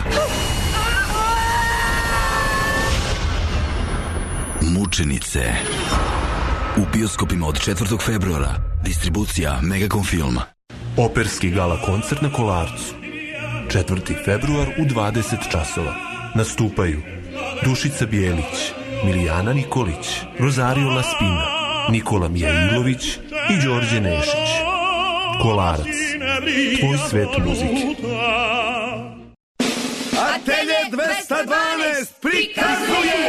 Mučenice. U bioskopima od četvrtog februara. Distribucija Megacom Film. Operski gala koncert na Kolarcu. četvrti februar u dvadeset časova. Nastupaju Dušica Bijelić, Milijana Nikolić, Rosario Laspina, Nikola Mijailović i Đorđe Nešić. Kolarac. Tvoj svet muzike. Atelje dvesta dvanaest prikazuje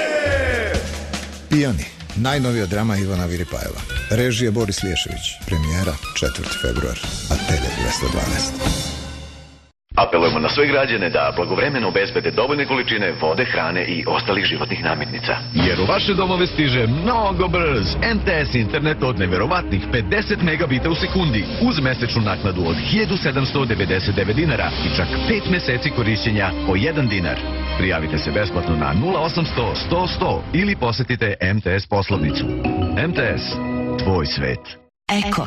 Pijani, najnovija drama Ivana Viripajeva. Režije Boris Liješević. Premijera četvrti februar. Atelje dvesta dvanaest. Apelujemo na sve građane da blagovremeno obezbede dovoljne količine vode, hrane i ostalih životnih namirnica. Jer u vaše domove stiže mnogo brz em te es internet od neverovatnih pedeset megabita u sekundi uz mesečnu naknadu od hiljadu sedamsto devedeset devet dinara i čak pet meseci korišćenja po jedan dinar. Prijavite se besplatno na nula osamsto sto sto ili posetite em te es poslovnicu. em te es, tvoj svet. Eko.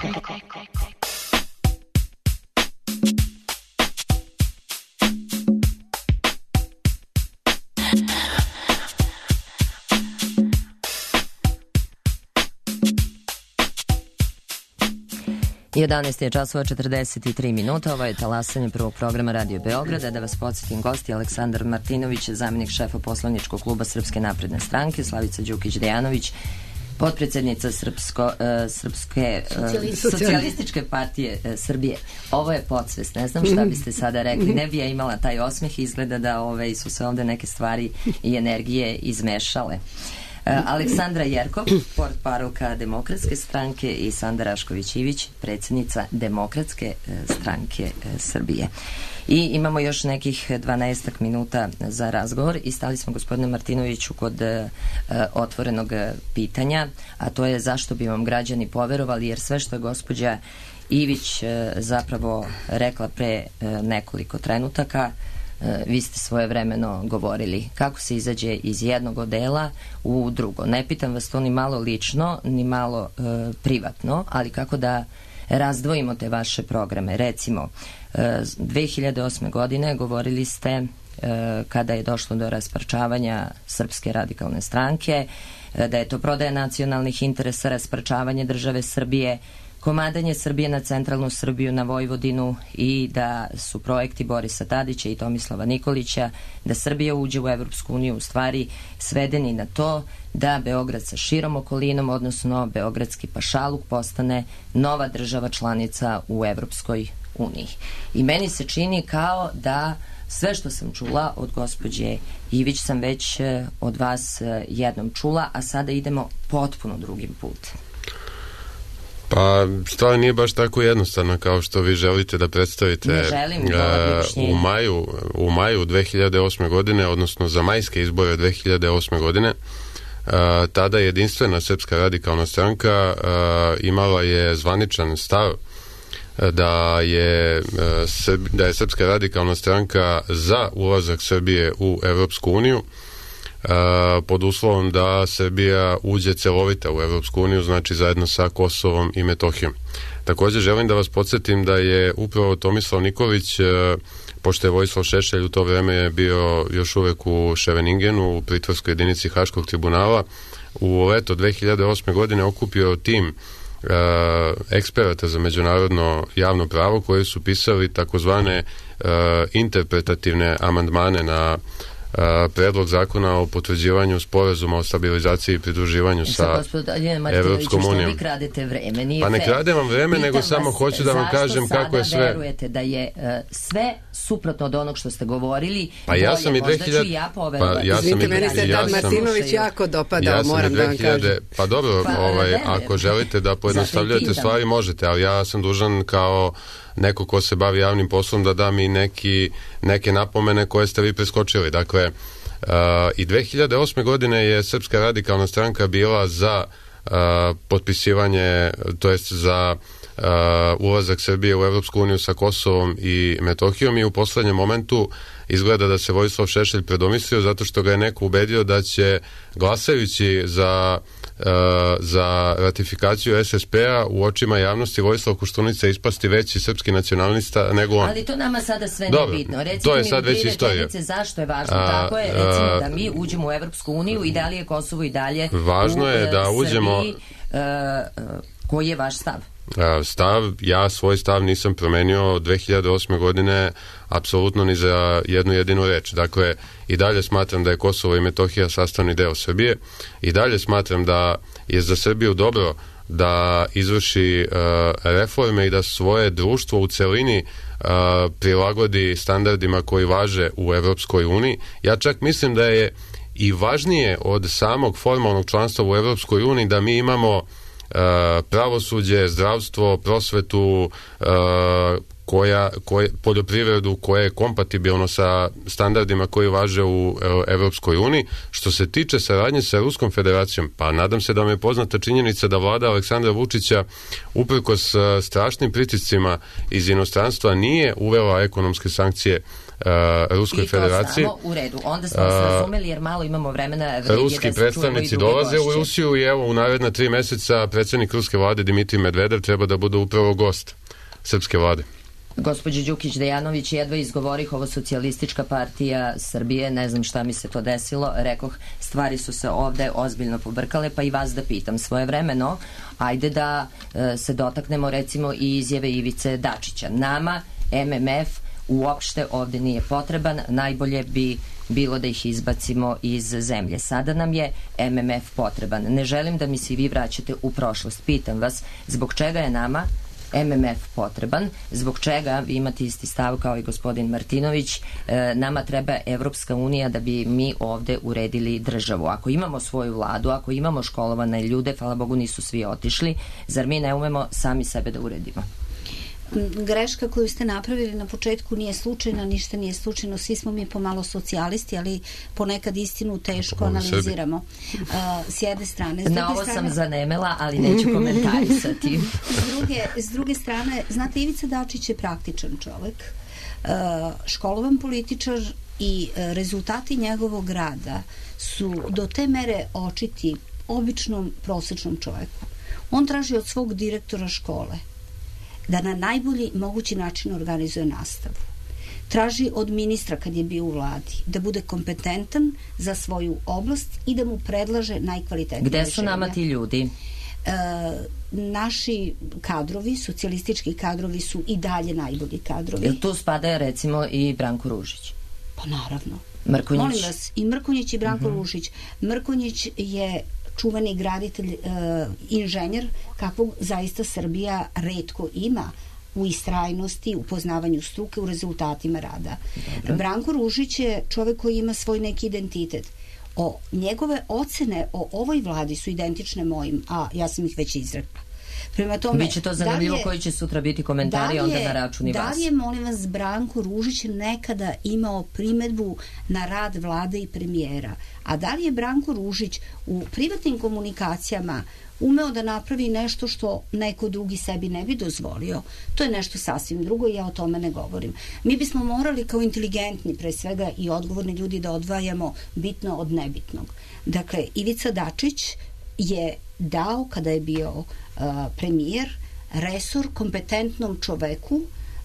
jedanaest je časova četrdeset tri minuta, ovo je talasanje prvog programa Radio Beograda. Da vas podsjetim, gosti Aleksandar Martinović, zamjenik šefa poslaničkog kluba Srpske napredne stranke, Slavica Đukić-Dejanović, potpredsjednica Srpsko, uh, Srpske uh, socijalističke partije uh, Srbije. Ovo je podsvest, ne znam šta biste sada rekli, ne bi ja imala taj osmeh, izgleda da ove, su se ovde neke stvari i energije izmešale. Uh, Aleksandra Jerkov, portparolka Demokratske stranke, i Sanda Rašković-Ivić, predsjednica Demokratske uh, stranke uh, Srbije. I imamo još nekih dvanaestak minuta za razgovor i stali smo, gospodine Martinoviću, kod uh, otvorenog pitanja, a to je zašto bi vam građani poverovali, jer sve što je gospođa Ivić uh, zapravo rekla pre uh, nekoliko trenutaka, vi ste svojevremeno govorili kako se izađe iz jednog odela u drugo. Ne pitam vas to ni malo lično, ni malo e, privatno, ali kako da razdvojimo te vaše programe. Recimo, e, dve hiljade osme. godine govorili ste, e, kada je došlo do rasparčavanja Srpske radikalne stranke, e, da je to prodaja nacionalnih interesa, rasparčavanje države Srbije, komadanje Srbije na centralnu Srbiju, na Vojvodinu, i da su projekti Borisa Tadića i Tomislava Nikolića da Srbija uđe u Evropsku uniju u stvari svedeni na to da Beograd sa širom okolinom, odnosno beogradski pašaluk, postane nova država članica u Evropskoj uniji. I meni se čini kao da Sve što sam čula od gospođe Ivić sam već od vas jednom čula, a sada idemo potpuno drugim putem. Pa, stvar nije baš tako jednostavna kao što vi želite da predstavite. Ne želim, uh, u maju, u maju dve hiljade osme godine, odnosno za majske izbore dve hiljade osme godine, uh, tada jedinstvena Srpska radikalna stranka uh, imala je zvaničan stav da je, uh, da je Srpska radikalna stranka za ulazak Srbije u Evropsku uniju, Uh, pod uslovom da Srbija uđe celovita u Evropsku uniju, znači zajedno sa Kosovom i Metohijom. Također želim da vas podsjetim da je upravo Tomislav Nikolić, uh, pošto je Vojislav Šešelj u to vreme bio još uvek u Ševeningenu, u pritvorskoj jedinici Haškog tribunala, u leto dve hiljade osme godine okupio tim uh, eksperata za međunarodno javno pravo koji su pisali takozvane uh, interpretativne amandmane na Uh, predlog zakona o potvrđivanju sporazuma o stabilizaciji i pridruživanju sa Evropskom unijom. Vi kradete vreme, nije pa ne kradem vam vreme, Pitam nego samo hoću da vam kažem kako je sve. Zašto sada verujete da je uh, sve suprotno od onog što ste govorili? Pa ja sam i dve hiljade... Ja pa ja sam i meni se tad Martinović jako dopadao, ja moram da vam kažem. Pa dobro, pa, ovaj, ne, ako želite da pojednostavljate stvari, možete, ali ja sam dužan kao neko ko se bavi javnim poslom da dam i neki, neke napomene koje ste vi preskočili. Dakle, uh, i dve hiljade osme godine je Srpska radikalna stranka bila za uh, potpisivanje, to jest za uh, ulazak Srbije u Evropsku uniju sa Kosovom i Metohijom, i u poslednjem momentu izgleda da se Vojislav Šešelj predomislio zato što ga je neko ubedio da će, glasajući za Uh, za ratifikaciju es es pe-a, u očima javnosti Vojislav Koštunica ispasti veći srpski nacionalista nego on. Ali to nama sada sve Dobro, nije bitno. Recimo to je mi sad već istorija. Zašto je važno? A, tako je, recimo a, da mi uđemo u Evropsku uniju i da li je Kosovo i dalje važno u je da Srbiji, uđemo... Uh, uh, koji je vaš stav? Stav, ja svoj stav nisam promenio dve hiljade osme godine apsolutno ni za jednu jedinu reč. Dakle, i dalje smatram da je Kosovo i Metohija sastavni deo Srbije, i dalje smatram da je za Srbiju dobro da izvrši uh, reforme i da svoje društvo u celini uh, prilagodi standardima koji važe u Evropskoj uniji. Ja čak mislim da je i važnije od samog formalnog članstva u Evropskoj uniji da mi imamo Uh, pravosuđe, zdravstvo, prosvetu, uh, koja, koje, poljoprivredu koja je kompatibilno sa standardima koji važe u uh, Evropskoj uniji. Što se tiče saradnje sa Ruskom federacijom, pa nadam se da vam je poznata činjenica da vlada Aleksandra Vučića uprkos uh, strašnim pritiscima iz inostranstva nije uvela ekonomske sankcije Uh, Ruskoj I to federaciji. Samo u redu. Onda smo uh, se razumeli jer malo imamo vremena. Ruski predstavnici dolaze u Rusiju i evo u naredna tri meseca predsjednik ruske vlade Dimitrij Medvedev treba da bude upravo gost srpske vlade. Gospođo Đukić Dejanović, jedva izgovorih ovo Socijalistička partija Srbije, ne znam šta mi se to desilo, rekoh, stvari su se ovde ozbiljno pobrkale, pa i vas da pitam svojevremeno, ajde da e, se dotaknemo recimo i izjave Ivice Dačića. Nama em em ef uopšte ovde nije potreban, najbolje bi bilo da ih izbacimo iz zemlje. Sada nam je em em ef potreban. Ne želim da mi se vi vraćate u prošlost. Pitam vas, zbog čega je nama em em ef potreban, zbog čega vi imate isti stav kao i gospodin Martinović, e, nama treba Evropska unija da bi mi ovde uredili državu. Ako imamo svoju vladu, ako imamo školovane ljude, hvala Bogu nisu svi otišli, zar mi ne umemo sami sebe da uredimo? Greška koju ste napravili na početku nije slučajna, ništa nije slučajno, svi smo mi pomalo socijalisti, ali ponekad istinu teško analiziramo. Uh, s jedne strane. S na ovo strane, sam zanemela, ali neću komentarisati. s, druge, s druge strane, znate, Ivica Dačić je praktičan čovek, uh, školovan političar i uh, rezultati njegovog rada su do te mere očiti običnom prosečnom čoveku. On traži od svog direktora škole da na najbolji mogući način organizuje nastavu. Traži od ministra, kad je bio u vladi, da bude kompetentan za svoju oblast i da mu predlaže najkvalitetnije rešenja. Gde su nama ti ljudi? E, naši kadrovi, socijalistički kadrovi su i dalje najbolji kadrovi. Jel tu spada recimo i Branko Ružić? Pa naravno. Mrkonjić? Molim vas, i Mrkonjić i Branko uh-huh. Ružić. Mrkonjić je čuveni graditelj, e, inženjer, kakvog zaista Srbija retko ima u istrajnosti, u poznavanju struke, u rezultatima rada. Dobro. Branko Ružić je čovek koji ima svoj neki identitet. O, njegove ocene o ovoj vladi su identične mojim, a ja sam ih već izrekla. Prema tome, biće to zanimljivo da je, koji će sutra biti komentari da je, onda na račun i vas. Da li je, molim vas, Branko Ružić nekada imao primedbu na rad vlade i premijera? A da li je Branko Ružić u privatnim komunikacijama umeo da napravi nešto što neko drugi sebi ne bi dozvolio? To je nešto sasvim drugo i ja o tome ne govorim. Mi bismo morali kao inteligentni, pre svega, i odgovorni ljudi da odvajamo bitno od nebitnog. Dakle, Ivica Dačić je dao, kada je bio uh, premijer, resor kompetentnom čoveku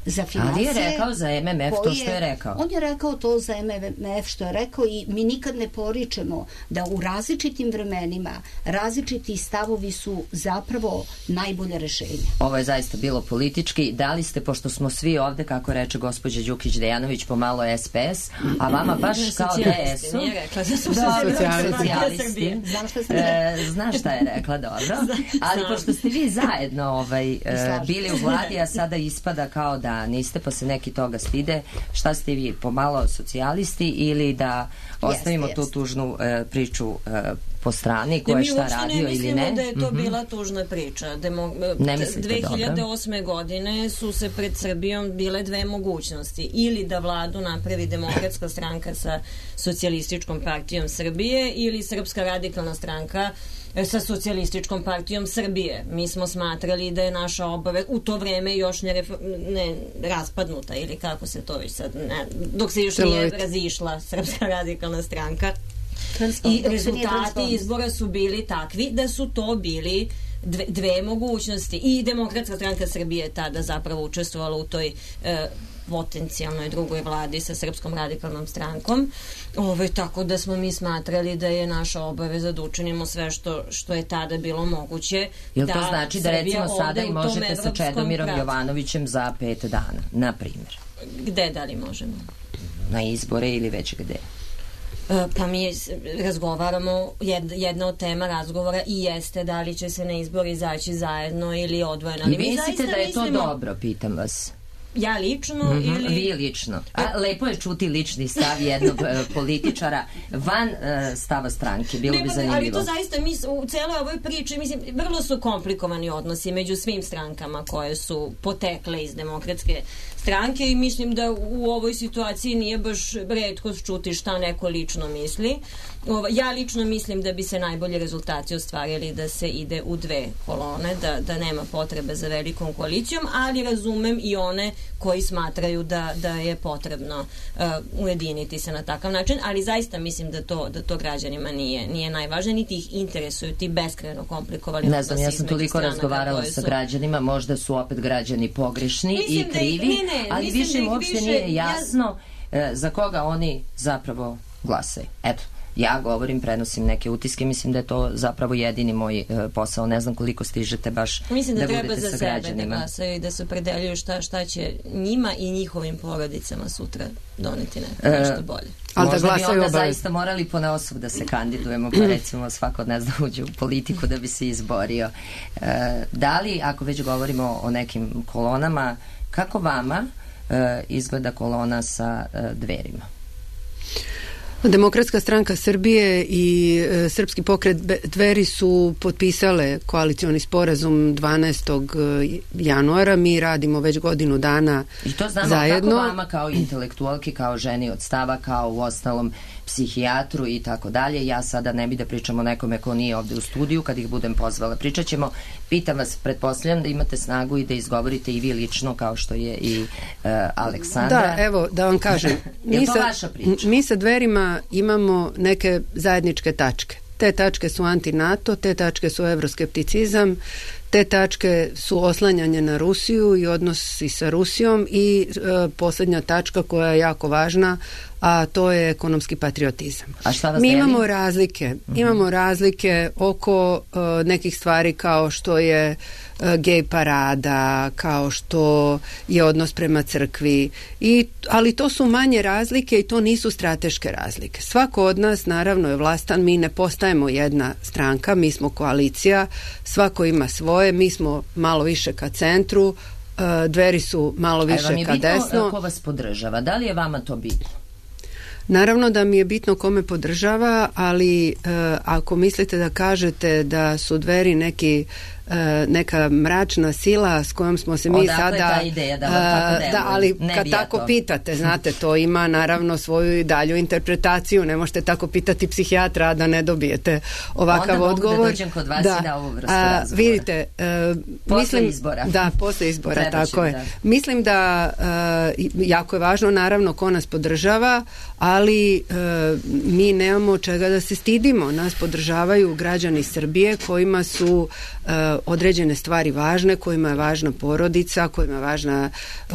za financije. Ali je rekao za M M F to što je rekao. On je rekao to za M M F što je rekao i mi nikad ne poričemo da u različitim vremenima različiti stavovi su zapravo najbolje rešenje. Ovo je zaista bilo politički. Da li ste, pošto smo svi ovde, kako reče gospođa Đukić Dejanović, pomalo S P S, a vama baš kao D S-u. Nije rekla da su socijalisti. Znam šta sam rekla. Znaš šta je rekla, dobro. Ali pošto ste vi zajedno ovaj, bili u vladi, a sada ispada kao da niste, pa se neki toga stide. Šta ste vi, pomalo socijalisti ili da ostavimo jest, tu jest. tužnu e, priču e, po strani, ko je šta radio ili ne? Mi uopšte ne mislimo da je to mm-hmm. bila tužna priča. Demo, ne mislite, dve hiljade osme dobro. godine su se pred Srbijom bile dve mogućnosti. Ili da vladu napravi Demokratska stranka sa Socijalističkom partijom Srbije ili Srpska radikalna stranka sa Socijalističkom partijom Srbije. Mi smo smatrali da je naša obaveza u to vreme još ne, ne raspadnuta ili kako se to već sad ne, dok se još nije razišla Srpska radikalna stranka. I rezultati izbora su bili takvi da su to bili dve, dve mogućnosti i Demokratska stranka Srbije je tada zapravo učestvovala u toj e, potencijalnoj drugoj vladi sa Srpskom radikalnom strankom. Ove, tako da smo mi smatrali da je naša obaveza da učinimo sve što, što je tada bilo moguće. Jel da to znači da recimo sada i možete sa Čedomirom pravu. Jovanovićem za pet dana, na primjer? Gde da li možemo? Na izbore ili već gde? Pa mi razgovaramo, jedna od tema razgovora i jeste da li će se na izbori izaći zajedno ili odvojeno. I vi mislite da je to dobro, pitam vas? Ja lično mm-hmm, ili... Vi lično. A lepo je čuti lični stav jednog uh, političara van uh, stava stranke. Bilo ne, bi zanimljivo. Ali to zaista, mi u celoj ovoj priči, mislim, vrlo su komplikovani odnosi među svim strankama koje su potekle iz Demokratske stranke i mislim da u ovoj situaciji nije baš retko čuti šta neko lično misli. Ja lično mislim da bi se najbolji rezultati ostvarili da se ide u dve kolone, da, da nema potrebe za velikom koalicijom, ali razumem i one koji smatraju da, da je potrebno uh, ujediniti se na takav način, ali zaista mislim da to, da to građanima nije, nije najvažnije, niti ih interesuju ti beskrajno komplikovali odnosi. Ne znam, ja sam toliko razgovarala sa građanima, možda su opet građani pogrešni mislim i krivi, da ih, ne, ne, ali više im uopšte više, nije jasno ja... za koga oni zapravo glasaju. Eto. Ja govorim, prenosim neke utiske, mislim da je to zapravo jedini moj e, posao. Ne znam koliko stižete baš mislim da, da treba budete za sa sebe građanima. Da glasaju i da se opredeljuju šta, šta će njima i njihovim porodicama sutra doneti ne, nešto e, bolje. Ali možda da bi onda obavljati. Zaista morali ponaosob da se kandidujemo, pa recimo svako ne zna uđe u politiku da bi se izborio. E, da li, ako već govorimo o nekim kolonama, kako vama e, izgleda kolona sa e, Dverima? Demokratska stranka Srbije i e, Srpski pokret Dveri su potpisale koalicioni sporazum dvanaestog januara. Mi radimo već godinu dana i to znamo zajedno. Kako vama kao intelektualki, kao ženi od stava, kao u ostalom psihijatru i tako dalje. Ja sada ne bi da pričam o nekome ko nije ovde u studiju, kad ih budem pozvala. Pričat ćemo. Pitam vas, pretpostavljam da imate snagu i da izgovorite i vi lično, kao što je i uh, Aleksandra. Da, evo, da vam kažem. Mi to sa, vaša priča? Mi sa Dverima imamo neke zajedničke tačke. Te tačke su anti-NATO, te tačke su evroskepticizam, te tačke su oslanjanje na Rusiju i odnosi sa Rusijom i e, posljednja tačka koja je jako važna, a to je ekonomski patriotizam. A šta vas Mi deli? imamo razlike. Uh-huh. Imamo razlike oko e, nekih stvari kao što je e, gej parada, kao što je odnos prema crkvi, i, ali to su manje razlike i to nisu strateške razlike. Svako od nas naravno je vlastan, mi ne postajemo jedna stranka, mi smo koalicija, svako ima svoje, mi smo malo više ka centru, Dveri su malo više ka desno. A vam je bitno ko vas podržava? Da li je vama to bitno? Naravno da mi je bitno ko me podržava, ali e, ako mislite da kažete da su Dveri neki e, neka mračna sila s kojom smo se mi Odakle sada... ta ideja da vam tako deluje? Da, ali ne kad tako to. pitate, znate, to ima naravno svoju i dalju interpretaciju, ne možete tako pitati psihijatra da ne dobijete ovakav Onda odgovor. Onda mogu da dođem kod vas da. i da ovu vrstu A, razgovora. Vidite, e, posle mislim, izbora. Da, posle izbora, Treba tako će, je. Da. Mislim da e, jako je važno naravno ko nas podržava, ali e, mi nemamo čega da se stidimo. Nas podržavaju građani Srbije kojima su e, određene stvari važne, kojima je važna porodica, kojima je važna e,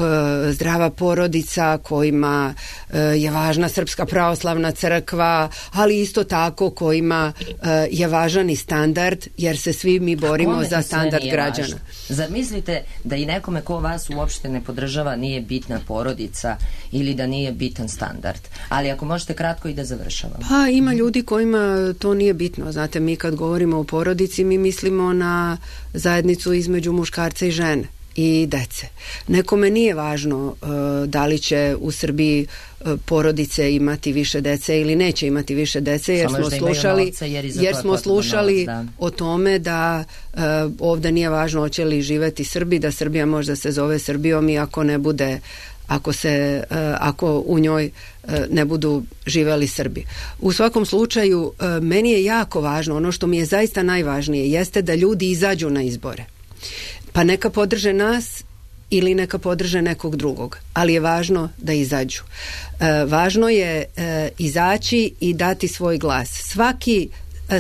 zdrava porodica, kojima e, je važna Srpska pravoslavna crkva, ali isto tako kojima e, je važan i standard, jer se svi mi borimo za standard građana. Važno? Zar mislite da i nekome ko vas uopšte ne podržava nije bitna porodica ili da nije bitan standard? Ali ako možete kratko i da završavamo. Pa ima ljudi kojima to nije bitno. Znate, mi kad govorimo o porodici, mi mislimo na zajednicu između muškarca i žene i dece. Nekome nije važno uh, da li će u Srbiji uh, porodice imati više dece ili neće imati više dece, jer Samo smo slušali, novca, jer, jer smo slušali novac, da. o tome da uh, ovde nije važno hoće li živeti Srbi, da Srbija možda se zove Srbijom i ako ne bude ako se uh, ako u njoj uh, ne budu živeli Srbi. U svakom slučaju uh, meni je jako važno, ono što mi je zaista najvažnije jeste da ljudi izađu na izbore. Pa neka podrže nas ili neka podrže nekog drugog, ali je važno da izađu. E, važno je e, izaći i dati svoj glas. Svaki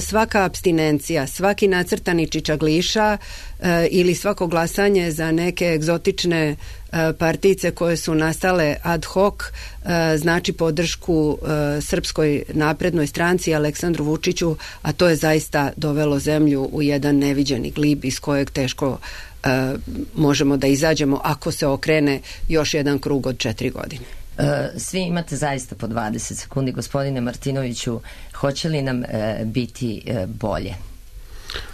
svaka apstinencija, svaki nacrtani čičagliša e, ili svako glasanje za neke egzotične e, partice koje su nastale ad hoc e, znači podršku e, Srpskoj naprednoj stranci, Aleksandru Vučiću, a to je zaista dovelo zemlju u jedan neviđeni glib iz kojeg teško e, možemo da izađemo ako se okrene još jedan krug od četiri godine. Svi imate zaista po dvadeset sekundi. Gospodine Martinoviću, hoće li nam e, biti e, bolje?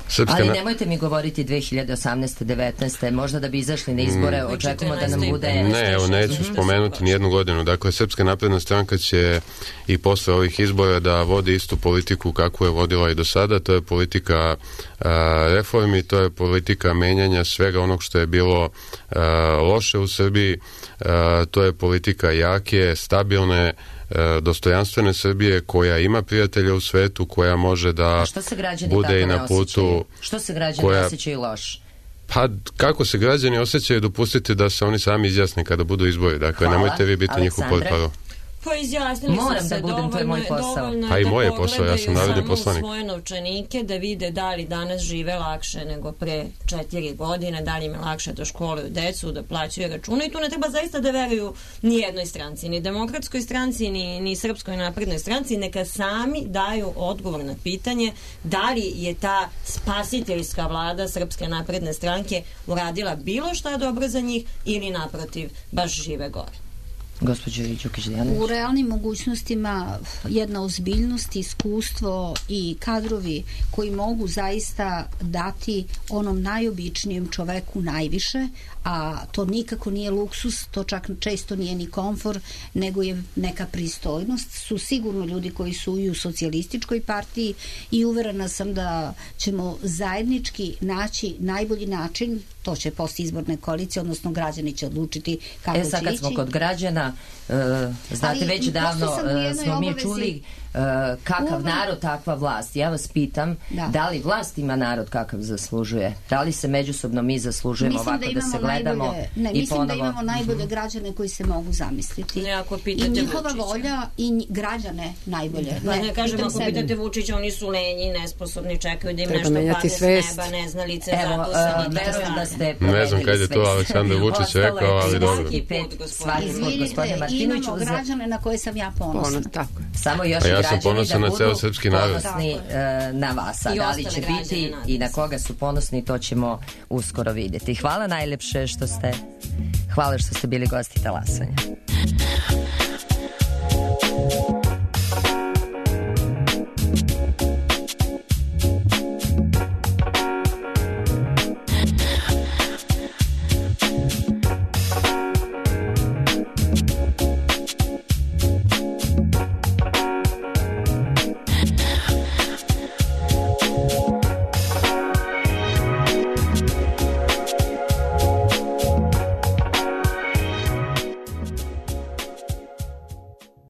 Srpska Ali nemojte mi govoriti dve hiljade osamnaeste devetnaeste možda da bi izašli na izbore, mm. očekujemo da nam bude... Ne, evo neću mm-hmm. spomenuti nijednu godinu. Dakle, Srpska napredna stranka će i posle ovih izbora da vodi istu politiku kakvu je vodila i do sada. To je politika a, reformi, to je politika menjanja svega onog što je bilo a, loše u Srbiji, a, to je politika jake, stabilne, dostojanstvene Srbije koja ima prijatelja u svetu, koja može da bude i na putu. Što se građani koja... osjećaju loš? Pa kako se građani osjećaju, dopustiti da se oni sami izjasne kada budu izbori. Dakle, Hvala. Nemojte vi biti njihov portparol. Pa izjasnili Moram su se da budem, dovoljno, to je moj posao. Pa i moje posao, ja sam narodni poslanik. Samo svoje novčanike da vide da li danas žive lakše nego pre četiri godine, da li im je lakše da školuju decu, da plaćaju račune i tu ne treba zaista da veruju ni jednoj stranci, ni Demokratskoj stranci, ni, ni Srpskoj naprednoj stranci, neka sami daju odgovor na pitanje da li je ta spasiteljska vlada Srpske napredne stranke uradila bilo šta dobro za njih ili naprotiv baš žive gore. U realnim mogućnostima jedna ozbiljnost, iskustvo i kadrovi koji mogu zaista dati onom najobičnijem čoveku najviše, a to nikako nije luksus, to čak često nije ni komfor, nego je neka pristojnost, su sigurno ljudi koji su i u socijalističkoj partiji i uverena sam da ćemo zajednički naći najbolji način, to će posle izborne koalicije, odnosno građani će odlučiti kako će ići. E sad kad smo kod građana, uh, znate Ali, već davno uh, smo mi čuli uh, kakav Uve. narod, takva vlast. Ja vas pitam, da. da li vlast ima narod kakav zaslužuje? Da li se međusobno mi zaslužujemo mislim ovako da, da se gledamo najbolje, ne, i mislim ponovo... da imamo najbolje građane koji se mogu zamisliti. Ne, ako I njihova Vučića. volja i građane najbolje. Pa ne, ne kažem, ako sebi. pitate Vučića, oni su lenji, nesposobni, čekaju da im Treba nešto padne svest. s neba, neznalice, Evo, zaposleni, uh, verujem da ste ne znam kad je to Aleksandar Vučić rekao, ali dobro. Izvinite, imamo građane na koje sam ja ponosna. Tako je. Samo još ja građani da na budu ponosni uh, na vas. A da li će biti i na koga su ponosni, to ćemo uskoro vidjeti. Hvala najlepše što ste, hvala što ste bili gosti talasanja.